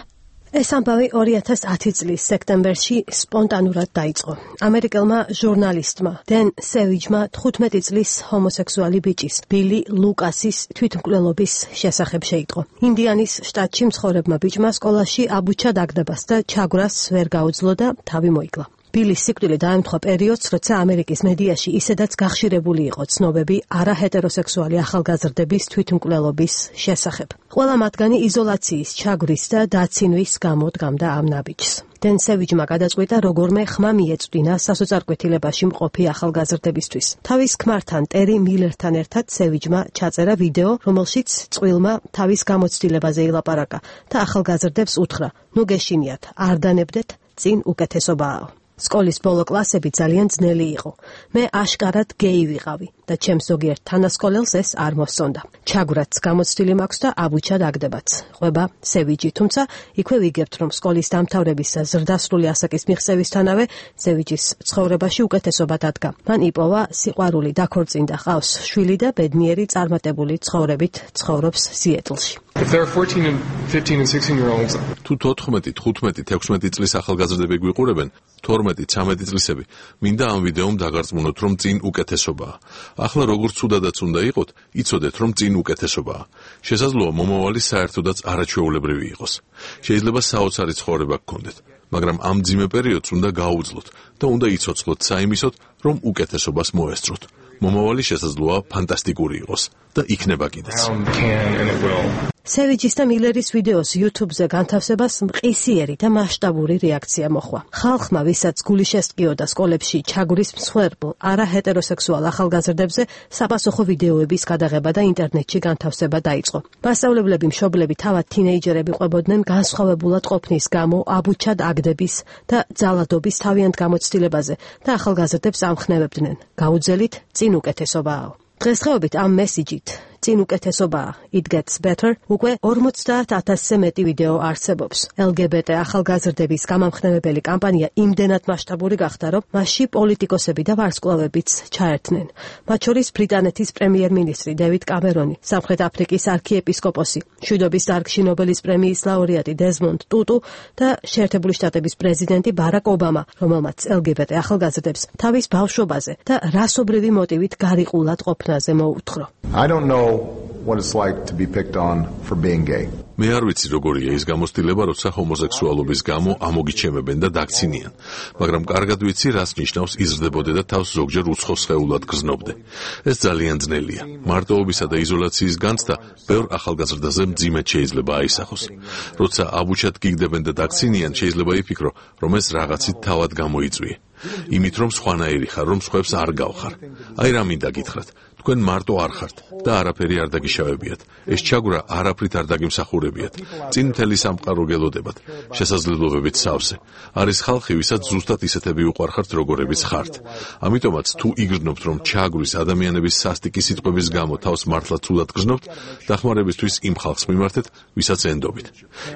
ეს ამბავი ორი ათას ათი წლის სექტემბერში სპონტანურად დაიწყო. ამერიკელმა ჟურნალისტმა დენ სევიჯმა თხუთმეტი წლის ჰომოსექსუალი ბიჭის, ბილი ლუკასის თვითმკვლელობის შესახებ შეიტყო. ინდიანის შტატში მცხოვრებმა ბიჭმა სკოლაში აბუჩა დაგდებას და ჩაგვრას ვერ გაუძლო და თავი მოიკლა. ბილის სიკვდილი დაემთხვა პერიოდს, როცა ამერიკის მედიაში ისედაც გახშირებული იყო ცნობები არაჰეტეროსექსუალი ახალგაზრდების თვითმკვლელობის შესახებ. ყველა მათგანი იზოლაციის, ჩაგვრის და დაცინვის გამო დგამდა ამ ნაბიჯს. დენ სევიჯმა გადაწყვიტა როგორმე ხმა მიეწვდინა სასოწარკვეთილებაში მყოფი ახალგაზრდებისთვის. თავის ქმართან ტერი მილერთან ერთად სევიჯმა ჩაწერა ვიდეო, რომელშიც წყვილმა თავის გამოცდილებაზე ილაპარაკა და ახალგაზრდებს უთხრა: "ნუ გეშინიათ, არ დანებდეთ, წინ უკეთესობაა." სკოლის ბოლო კლასები ძალიან ძნელი იყო. მე აშკარად გეი ვიყავი და ჩემს ზოგიერთ თანასკოლელს ეს არ მოსწონდა. ჩაგვრაც გამოცდილი მაქვს და აბუჩა დაგდებაც. ყვება სევიჯი, თუმცა იქვე ვიგებთ, რომ სკოლის დამთავრების ზრდასრული ასაკის მიღწევისთანავე სევიჯის ცხოვრებაში უკეთესობა დადგა. მან იპოვა სიყვარული, დაქორწინდა, ყავს შვილი და ბედნიერი წარმატებული ცხოვრებით ცხოვრობს სიეტლში. If there are fourteen and fifteen and sixteen year olds, თუ თოთხმეტი, თხუთმეტი, თექვსმეტი წლის ახალგაზრდები გვიყურებენ, თორმეტი, ცამეტი წლისები, მინდა ამ ვიდეომ დაგარწმუნოთ, რომ წინ უკეთესობაა. ახლა როგორც ცუდადაც უნდა იყოთ, იცოდეთ, რომ წინ უკეთესობაა. შესაძლოა მომავალი საერთოდაც არაჩვეულებრივი იყოს. შეიძლება საოცარი ცხოვრება გქონდეთ, მაგრამ ამ ძიმე პერიოდს უნდა გაუძლოთ და უნდა იცოცხლოთ საიმისოდ, რომ უკეთესობას მოესწროთ. მომავალი შესაძლოა ფანტასტიკური იყოს და იქნება კიდეც. სევიჯის და მილერის ვიდეოს YouTube-ზე განთავსებას მყისიერი და მასშტაბური რეაქცია მოჰყვა. ხალხმა, ვისაც გული შესტკიოდა სკოლებში ჩაგვრის მსხვერპლ არაჰეტეროსექსუალ ახალგაზრდებზე, საპასუხო ვიდეოების გადაღება და ინტერნეტში განთავსება დაიწყო. მასწავლებლები, მშობლები, თავად თინეიჯერები ყვებოდნენ განსხვავებულად ყოფნის გამო აბუჩად აგდების და ძალადობის თავიანთ გამოცდილებაზე და ახალგაზრდებს ამხნევებდნენ. გაუძელით, წინ უკეთესობაა. დღესდღეობით ამ მესიჯით წინ უკეთესობაა. It gets better. უკვე ორმოცდაათ ათასზე მეტი ვიდეო არსებობს. ელ გი ბი ტი ახალგაზრდების გამამხნევებელი კამპანია იმდენად მასშტაბური გახდა, რომ მასში პოლიტიკოსები და ვარსკვლავებიც ჩაერთნენ. მათ შორის ბრიტანეთის პრემიერ-მინისტრი დევიდ კამერონი, სამხრეთ აფრიკის არქიეპისკოპოსი, მშვიდობის დარგში ნობელის პრემიის ლაურეატი დეზმონდ ტუტუ და შეერთებული შტატების პრეზიდენტი ბარაკ ობამა, რომელმაც ელ გი ბი ტი ახალგაზრდებს თავის ბავშვობაზე და რასობრივი მოტივით გარიყულად ყოფნაზე მოუთხრო. I don't know what it's like to be picked on for being gay. მე არ ვიცი როგორია ის გამოცდილება, როცა ჰომოსექსუალობის გამო ამოგიჩემებენ და დაქცინიან, მაგრამ კარგად ვიცი, რას ნიშნავს იზრდებოდე და თავს ზოგჯერ უცხო სხეულად გრძნობდე. ეს ძალიან ძნელია. მარტოობისა და იზოლაციის განცდა ბევრ ახალგაზრდაზე მძიმედ შეიძლება აისახოს. როცა აბუჩად გიგდებენ და დაქცინიან, შეიძლება იფიქრო, რომ ეს რაღაცით თავად გამოიწვიე. იმით რომ სხვანაირი ხარ, რომ სხვებს არ გავხარ. აი რა მინდა გითხრათ. თქვენ მარტო არ ხართ და არაფერი არ დაგიშავებიათ. ეს ჩაგვრა არაფრით არ დაგიმსახურებიათ. წინ მთელი სამყარო გელოდებათ, შესაძლებლობებით სავსე. არის ხალხი, ვისაც ზუსტად ისეთები უყვარხართ, როგორებიც ხართ. ამიტომაც თუ იგრძნობთ, რომ ჩაგვრის ადამიანების სასტიკი სიტყვების გამო თავს მართლა ცუდად გრძნობთ, დახმარებისთვის იმ ხალხს მიმართეთ, ვისაც ენდობით.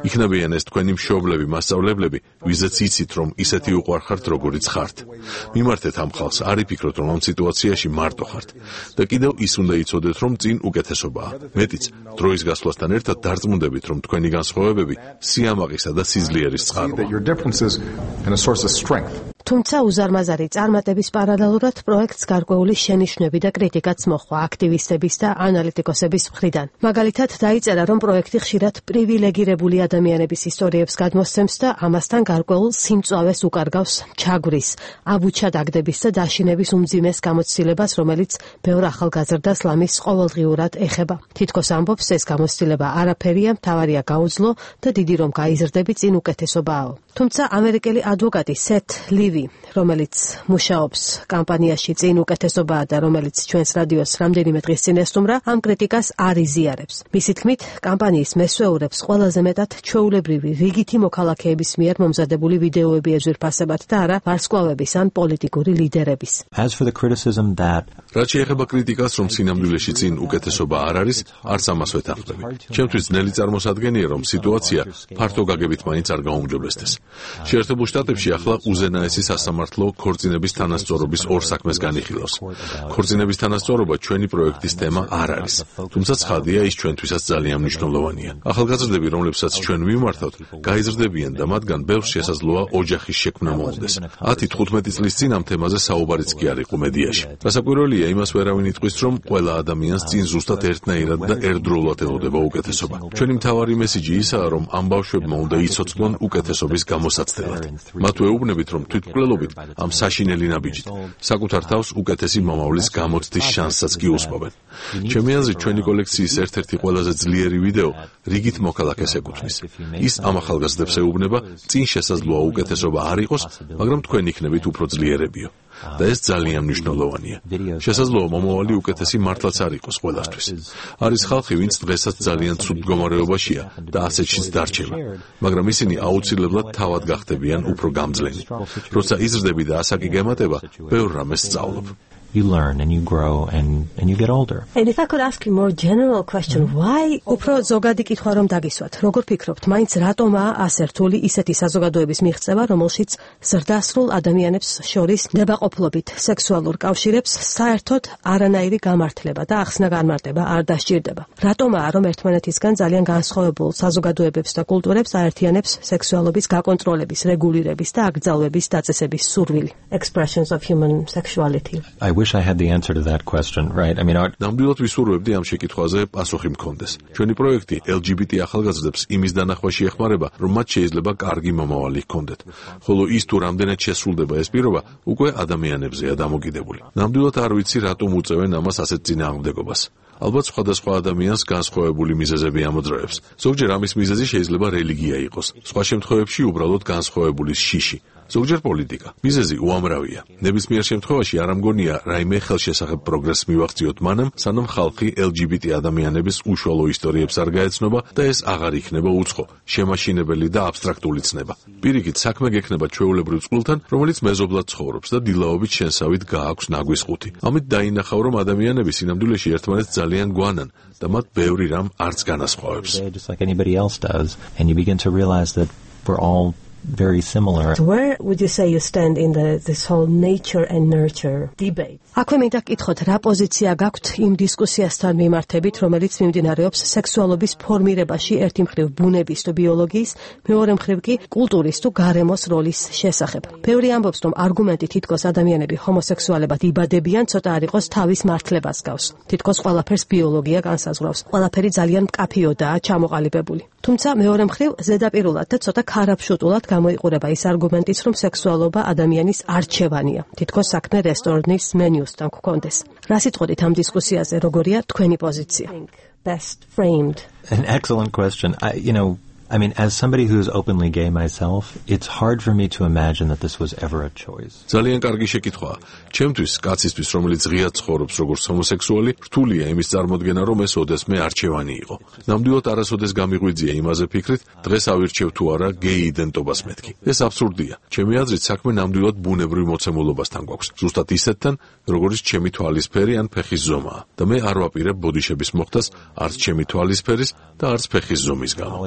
იქნებიან ეს თქვენი მშობლები, მასწავლებლები, ვიზეც იცით, რომ ისეთი უყვარხართ, როგორიც ხართ. მიმართეთ ამ ხალხს, არ იფიქროთ, რომ ამ სიტუაციაში მარტო ხართ. და კიდევ ის უნდა იცოდეთ, რომ წინ უკეთესობაა. მეტიც, დროის გასვლასთან ერთად დარწმუნდებით, რომ თქვენი განსხვავებები სიამაყისა და სიძლიერის წყაროა. თუმცა უზარმაზარი წარმატების პარალელურად პროექტს გარკვეული შენიშვნები და კრიტიკაც მოჰყვა აქტივისტების და ანალიტიკოსების მხრიდან. მაგალითად, დაიწერა, რომ პროექტი ხშირად პრივილეგირებული ადამიანების ისტორიებს გადმოსცემს და ამასთან გარკვეულ სიმწვავეს უკარგავს ჩაგვრის, აბუჩად აგდების და დაშინების უმძიმეს გამოცდილებას, რომელიც ბევრ ახალგაზრდას ლამის ყოველდღიურად ეხება. თითქოს ამბობს, ეს გამოცდილება არაფერია, მთავარია გაუძლო და დიდი რომ გაიზრდები წინ უკეთესობაო. თუმცა ამერიკელი ადვოკატი სეთ ლივი, რომელიც მუშაობს კამპანიაში წინ უკეთესობაა და რომელიც ჩვენს რადიოს რამდენიმე დღის წინ ესტუმრა, ამ კრიტიკას არ იზიარებს. მისი თქმით, კამპანიის მესვეურებს ყველაზე მეტად ჩვეულებრივი რიგითი მოქალაქეების მიერ მომზადებული ვიდეოები ეძვირფასებათ და არა ვარსკვლავების ან პოლიტიკური ლიდერების. As for the criticism that რაც შეეხება კრიტიკას, რომ სინამდვილეში წინ უკეთესობა არ არის, არც ამას ვეთანხმები. ჩემთვის ძნელი წარმოსადგენია, რომ სიტუაცია ფართო გაგებით მაინც არ გაუმჯობესდეს. შეერთებულ შტატებში ახლა უზენაესი სასამართლო ქორწინების თანასწორობის ორ საქმეს განიხილავს. ქორწინების თანასწორობა ჩვენი პროექტის თემა არ არის, თუმცა ცხადია, ის ჩვენთვისაც ძალიან მნიშვნელოვანია. ახალგაზრდები, რომლებსაც ჩვენ ვიმართავთ, გაიზრდებიან და მათგან ბევრს შესაძლოა ოჯახის შექმნა მოუნდეს. ათი თხუთმეტი წლის წინ ამ თემაზე საუბარიც კი არ იყო მედიაში. გასაკვირველია, იმას ვერავინ იტყვის, რომ ყველა ადამიანს წინ ზუსტად ერთნაირად და ერთდროულად ელოდება უკეთესობა. ჩვენი მთავარი მესიჯი ისაა, რომ ამ ბავშვებმა უნდა იცოცხლონ უკეთესობის გამოსაცდელად. მათ ვეუბნებით, რომ თვითმკვლელობით ამ საშინელი ნაბიჯით საკუთარ თავს უკეთესი მომავლის გამოცდის შანსსაც კი უსმობენ. ჩემი აზრით, ჩვენი კოლექციის ერთ-ერთი ყველაზე ძლიერი ვიდეო რიგით მოქალაქეს ეკუთვნის. ის ამ ახალგაზრდებს ეუბნება, წინ შესაძლოა უკეთესობა არ იყოს, მაგრამ თქვენ იქნებით უფრო ძლიერებიო. და ეს ძალიან მნიშვნელოვანია. შესაძლოა მომავალი უკეთესი მართლაც არ იყოს ყველასთვის. არის ხალხი, ვინც დღესაც ძალიან ცუდ მდგომარეობაშია და ასეთშიც დარჩება, მაგრამ ისინი აუცილებლად თავად გახდებიან უფრო გამძლენი. როცა იზრდები და ასაკი გემატება, ბევრ რამეს სწავლობ. You learn and you grow and and you get older. And if I could ask you more general question, why უფრო ზოგადი კითხვა რომ დაგისვათ, როგორ ფიქრობთ, მაინც რატომაა ასე რთული ისეთი საზოგადოების მიღწევა, რომელშიც ზრდასრულ ადამიანებს შორის ნებაყოფლობით სექსუალურ კავშირებს საერთოდ არანაირი გამართლება და ახსნა განმარტება არ დასჭირდება? რატომაა რომ ერთმანეთისგან ძალიან განსხვავებულ საზოგადოებებს და კულტურებს აერთიანებს სექსუალობის გაკონტროლების, რეგულირების და აკრძალვების დაწესების სურვილი? Expressions of human sexuality. I wish I had the answer to that question, right? I mean, our... ნამდვილად ვისურვებდი ამ შეკითხვაზე პასუხი მქონდეს. ჩვენი პროექტი ელ ჯი ბი ტი ახალგაზრდებს იმის დანახვაში ეხმარება, რომ მათ შეიძლება კარგი მომავალი ჰქონდეთ. ხოლო ის თუ რამდენად შესრულდება ეს პირობა, უკვე ადამიანებზეა დამოკიდებული. ნამდვილად არ ვიცი, რატომ უწევენ ამას ასეთ წინააღმდეგობას. ალბათ სხვადასხვა ადამიანს განსხვავებული მიზეზები ამოძრავებს. ზოგჯერ ამის მიზეზი შეიძლება რელიგია იყოს. სხვა შემთხვევებში უბრალოდ განსხვავებული შიში. ზოგჯერ პოლიტიკა. მიზეზი უამრავია. ნებისმიერ შემთხვევაში არ ამგონია რაიმე ხელშესახებ პროგრესს მივაღწიოთ მანამ, სანამ ხალხი ელ ჯი ბი ტი ადამიანების უშუალო ისტორიებს არ გაეცნობა და ეს აღარ იქნება უცხო, შემაშინებელი და აბსტრაქტული ცნება. პირიქით, საქმე გექნება ჩვეულებრივ წყვილთან, რომელიც მეზობლად ცხოვრობს და დილაობით შენსავით გააქვს ნაგვის ხუთი. ამით დაინახავ, რომ ადამიანები სინამდვილეში ერთმანეთს ძალიან გვანან და მათ ბევრი რამ არც განასხვავებს. Just like anybody else does, and you begin to realize that we're all very similar. Where would you say you stand in the this whole nature and nurture debate? აქვე მინდა გკითხოთ, რა პოზიცია გაქვთ იმ დისკუსიასთან მიმართებით, რომელიც მიმდინარეობს სექსუალობის ფორმირებაში ერთი მხრივ ბუნების თუ ბიოლოგიის, მეორე მხრივ კი კულტურის თუ გარემოს როლის შესახებ. ბევრი ამბობს, რომ არგუმენტი თითქოს ადამიანები ჰომოსექსუალებად იბადებიან, ცოტა არ იყოს თავის მართლებას გავს. თითქოს ყველაფერს ბიოლოგია განსაზღვრავს. ყველაფერი ძალიან მკაფიოდაა ჩამოყალიბებული. თუმცა მეორე მხრივ ზედაპირულად და ცოტა ქარაფშუტულად გამოიყურება ის არგუმენტიც, რომ სექსუალობა ადამიანის არჩევანია. თითქოს საქმე რესტორნის მენიუსთან გქონდეს. რა სიტყვით ამ დისკუსიაზე როგორია თქვენი პოზიცია? Best framed. An excellent question. I, you know, I mean, as somebody who's openly gay myself, it's hard for me to imagine that this was ever a choice. ძალიან კარგი შეკითხვაა. ჩემთვის, კაცისთვის, რომელიც ღიად ცხოვრობს როგორც ჰომოსექსუალი, რთულია იმის წარმოდგენა, რომ ეს ოდესმე არჩევანი იყო. ნამდვილად არასოდეს გამიღვიძია იმაზე ფიქრით, დღეს ავირჩევ თუ არა გეი იდენტობას მეთქი. ეს აბსურდია. ჩემი აზრით, საქმე ნამდვილად ბუნებრივ მოცემულობასთან გვაქვს. ზუსტად ისეთთან, როგორც ჩემი თვალისფერი ან ფეხის ზომაა. და მე არ ვაპირებ ბოდიშების მოხდას არც ჩემი თვალისფერის და არც ფეხის ზომის გამო.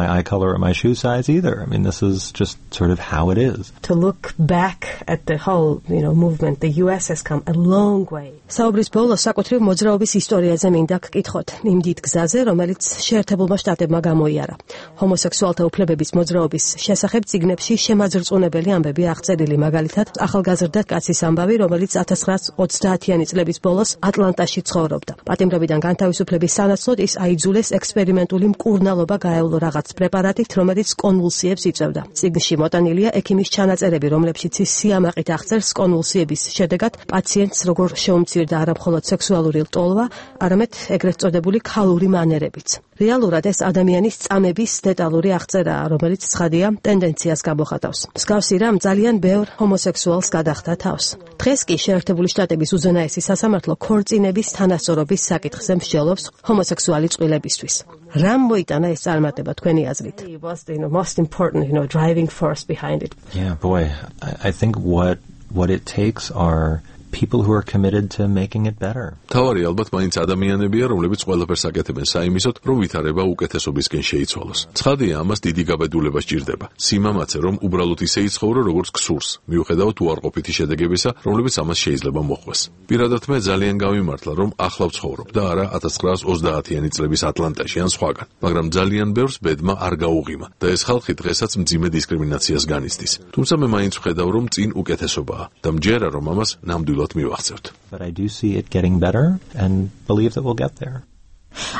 My eye color or my shoe size either. I mean, this is just sort of how it is. To look back at the whole, you know, movement, the U S has come a long way. საუბრის ბოლოს საკუთრივ მოძრაობის ისტორიაზე მინდა გკითხოთ იმ დიდ გზაზე, რომელიც შეერთებულმა შტატებმა გამოიარა. ჰომოსექსუალთა უფლებების მოძრაობის შესახებ წიგნებში შემაძრწუნებელი ამბები აღწერილი, მაგალითად, ახალგაზრდა კაცის ამბავი, რომელიც ათას ცხრაასი ოცდაათიანი წლების ბოლოს ატლანტაში ცხოვრობდა. პატიმრობიდან განთავისუფლების სანაცვლოდ ის აიძულეს ექსპერიმენტული მკურნალობა გაევლო რაღაც პრეპარატით, რომელიც კონვულსიებს იწვევდა. წიგნში მოტანილია ექიმის ჩანაწერები, რომლებშიც ის სიამაყით აღწერს კონვულსიების შედეგად პაციენტს როგორ შეუმცირდა არა მხოლოდ სექსუალური ლტოლვა, არამედ ეგრეთ წოდებული ქალური მანერებიც. რეალურად ეს ადამიანის წამების დეტალური აღწერაა, რომელიც ცხადია ტენდენციას გამოხატავს. მსგავსი რამ ძალიან ბევრ ჰომოსექსუალს გადახდა თავს. დღეს კი შეერთებული შტატების უზენაესი სასამართლო ქორწინების თანასწორობის საკითხზე მსჯელობს ჰომოსექსუალი წყვილებისთვის. რამ მოიტანა ეს წარმატება თქვენი აზრით? It was the you know, most important, you know, driving force behind it. Yeah, boy, I, I think what what it takes are people who are committed to making it better. თავარი ალბათ მაინც ადამიანებია, რომლებიც ყველაფერს აკეთებენ საიმისოდ, რომ ვითარება უკეთესობისკენ შეიცვალოს. ცხადია, ამას დიდი გაბედულება სჭირდება. სიმამაცე, რომ უბრალოდ ისე იცხოვრო, როგორც გსურს, მიუხედავად უარყოფითი შედეგებისა, რომლებიც ამას შეიძლება მოჰყვეს. პირადად მე ძალიან გავიმართლა, რომ ახლა ვცხოვრობ და არა ათას ცხრაასი ოცდაათიანი წლების ატლანტაში ან სხვაგან, მაგრამ ძალიან ბევრს ბედმა არ გაუღიმა და ეს ხალხი დღესაც მძიმე დისკრიმინაციას განიცდის. თუმცა მე მაინც ვხედავ, რომ წინ უკეთესობაა და მჯერა, რომ ამას ნამდვილად But I do see it getting better and believe that we'll get there.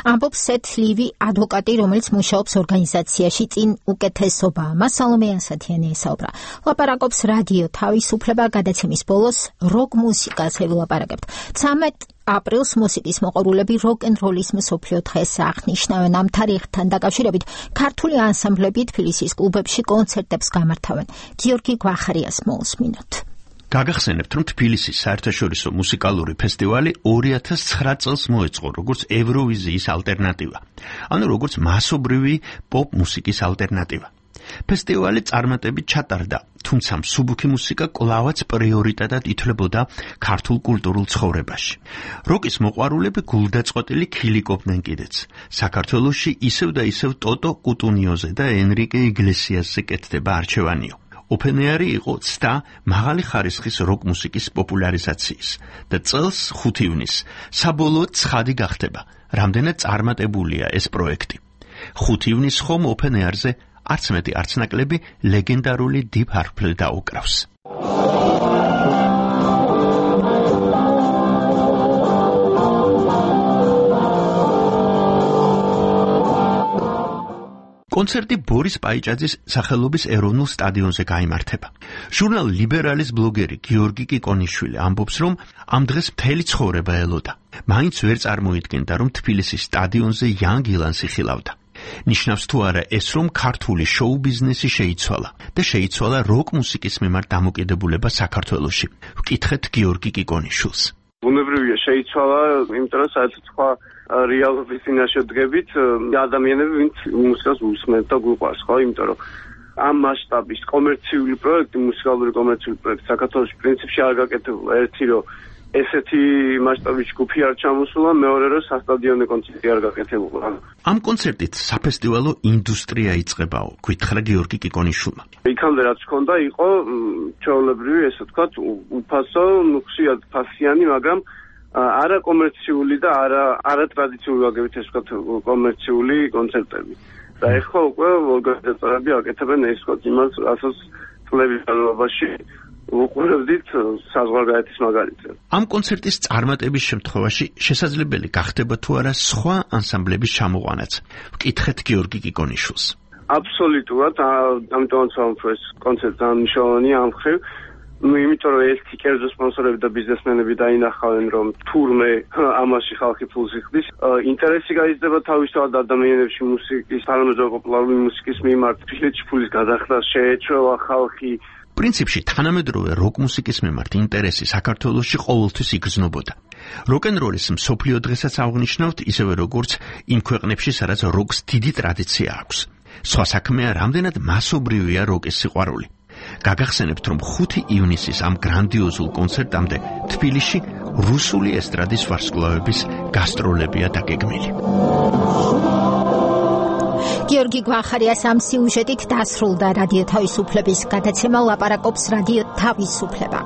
ამბობს სეთ ლივი, ადვოკატი, რომელიც მუშაობს ორგანიზაციაში წინ უკეთესობა. მას სალომე ანსათიანი ესაუბრა. ლაპარაკობს რადიო თავისუფლება გადაცემის ბოლოს როკ მუსიკას ელაპარაკებთ. ცამეტ აპრილს მუსიკის მოყვარულები როკ-ენ-როლის მსოფლიო დღეს აღნიშნავენ. ამ თარიღთან დაკავშირებით ქართული ანსამბლები თბილისის კლუბებში კონცერტებს გამართავენ. გიორგი გვახარიას მოусმინოთ. გაგახსენებთ, რომ თბილისის საერთაშორისო მუსიკალური ფესტივალი ორი ათას ცხრა წელს მოეწყო, როგორც ევროვიზიის ალტერნატივა, ანუ როგორც მასობრივი პოპ მუსიკის ალტერნატივა. ფესტივალი წარმატებით ჩატარდა, თუმცა მსუბუქი მუსიკა კვლავაც პრიორიტეტად ითვლებოდა ქართულ კულტურულ ცხოვრებაში. როკის მოყვარულები გულდაწყვეტილი ქილიკობდნენ კიდეც. საქართველოში ისევ და ისევ ტოტო კუტუნიოზე და ენრიკე იგლესიასზე კეთდება არჩევანიო. ოპენეარი იყო ცდა მაღალი ხარისხის როკ მუსიკის პოპულარიზაციის და წელს ხუთი ივნისს საბოლოოდ ცხადი გახდება, რამდენად წარმატებულია ეს პროექტი. ხუთი ივნისს ხომ ოპენეარზე არც მეტი არც ნაკლები ლეგენდარული Deep Purple დაუკრავს. კონცერტი ბორის პაიჭაძის სახელობის ეროვნულ სტადიონზე გაიმართება. ჟურნალ ლიბერალის ბლოგერი გიორგი კიკონიშვილი ამბობს, რომ ამ დღეს მთელი ცხოვრება ელოდა. მაინც ვერ წარმოიდგენდა, რომ თბილისის სტადიონზე იან გილანსი ხილავდა. ნიშნავს თუ არა ეს, რომ ქართული შოუ ბიზნესი შეიცვალა და შეიცვალა როკ მუსიკის მიმართ დამოკიდებულება საქართველოში. ვკითხეთ გიორგი კიკონიშვილს. ბუნებრივია შეიცვალა, იმიტომ რომ საერთოდ სხვა რეალობის წინაშე დგებით ადამიანები, ვინც მუსიკას უსმენთ და გვიყვარს, ხო, იმიტომ რომ ამ მასშტაბის კომერციული პროექტი, მუსიკალური კომერციული პროექტი საქართველოში პრინციპში არ გაკეთებულა. ერთი რომ ესეთი მასშტაბის ჯგუფი არ ჩამოსულა, მეორე რომ სასტადიონო კონცერტი არ გაკეთებულა. ამ კონცერტით საფესტივალო ინდუსტრია იწყებაო, გითხრა გიორგი კიკონიშვილმა. იქამდე რაც ჰქონდა, იყო ჩვეულებრივი, ესე ვთქვათ, უფასო, ნუ ხშირად ფასიანი, მაგრამ არა კომერციული და არა არა ტრადიციული ვაგებით, ესე ვთქვათ, კომერციული კონცერტები. და ეხლა უკვე ორგანიზატორები აკეთებენ ეს ვთქვათ იმას, რასაც წლების განმავლობაში უყურებდით საზღვარგარეთის მაგალითზე. ამ კონცერტის წარმატების შემთხვევაში შესაძლებელი გახდება თუ არა სხვა ანსამბლების ჩამოყვანაც. ვკითხეთ გიორგი კიკონიშვილს. აბსოლუტურად, ამიტომაც ვამბობ, ეს კონცერტი ძალიან მნიშვნელოვანია ამ მხრივ. ну, იმიტომ რომ ერთი კერძო სპონსორები და ბიზნესმენები დაინახავენ, რომ თურმე ამაში ხალხი ფულს იხდის, ინტერესი გაიზრდება თავისთავად ადამიანებში მუსიკის, თანამედროვე პოპულარული მუსიკის მიმართ, ფილეთში ფულის გადახდა შეეჩვევა ხალხი. პრინციპში თანამედროვე როკ მუსიკის მიმართ ინტერესი საქართველოში ყოველთვის იგრძნობოდა. როკ-ენ-როლის მსოფლიო დღესაც აღნიშნავთ, ისევე როგორც იმ ქვეყნებში, სადაც როკს დიდი ტრადიცია აქვს. სხვა საქმეა, რამდენად მასობრივია როკის სიყვარული. გაგახსენებთ, რომ ხუთი ივნისის ამ გრანდიოზულ კონცერტამდე თბილისში რუსული ესტრადის ვარსკვლავების გასტროლებია დაგეგმილი. გიორგი გვახარიას ამ სიუჟეტით დასრულდა რადიო თავისუფლების გადაცემა ლაპარაკობს რადიო თავისუფლება.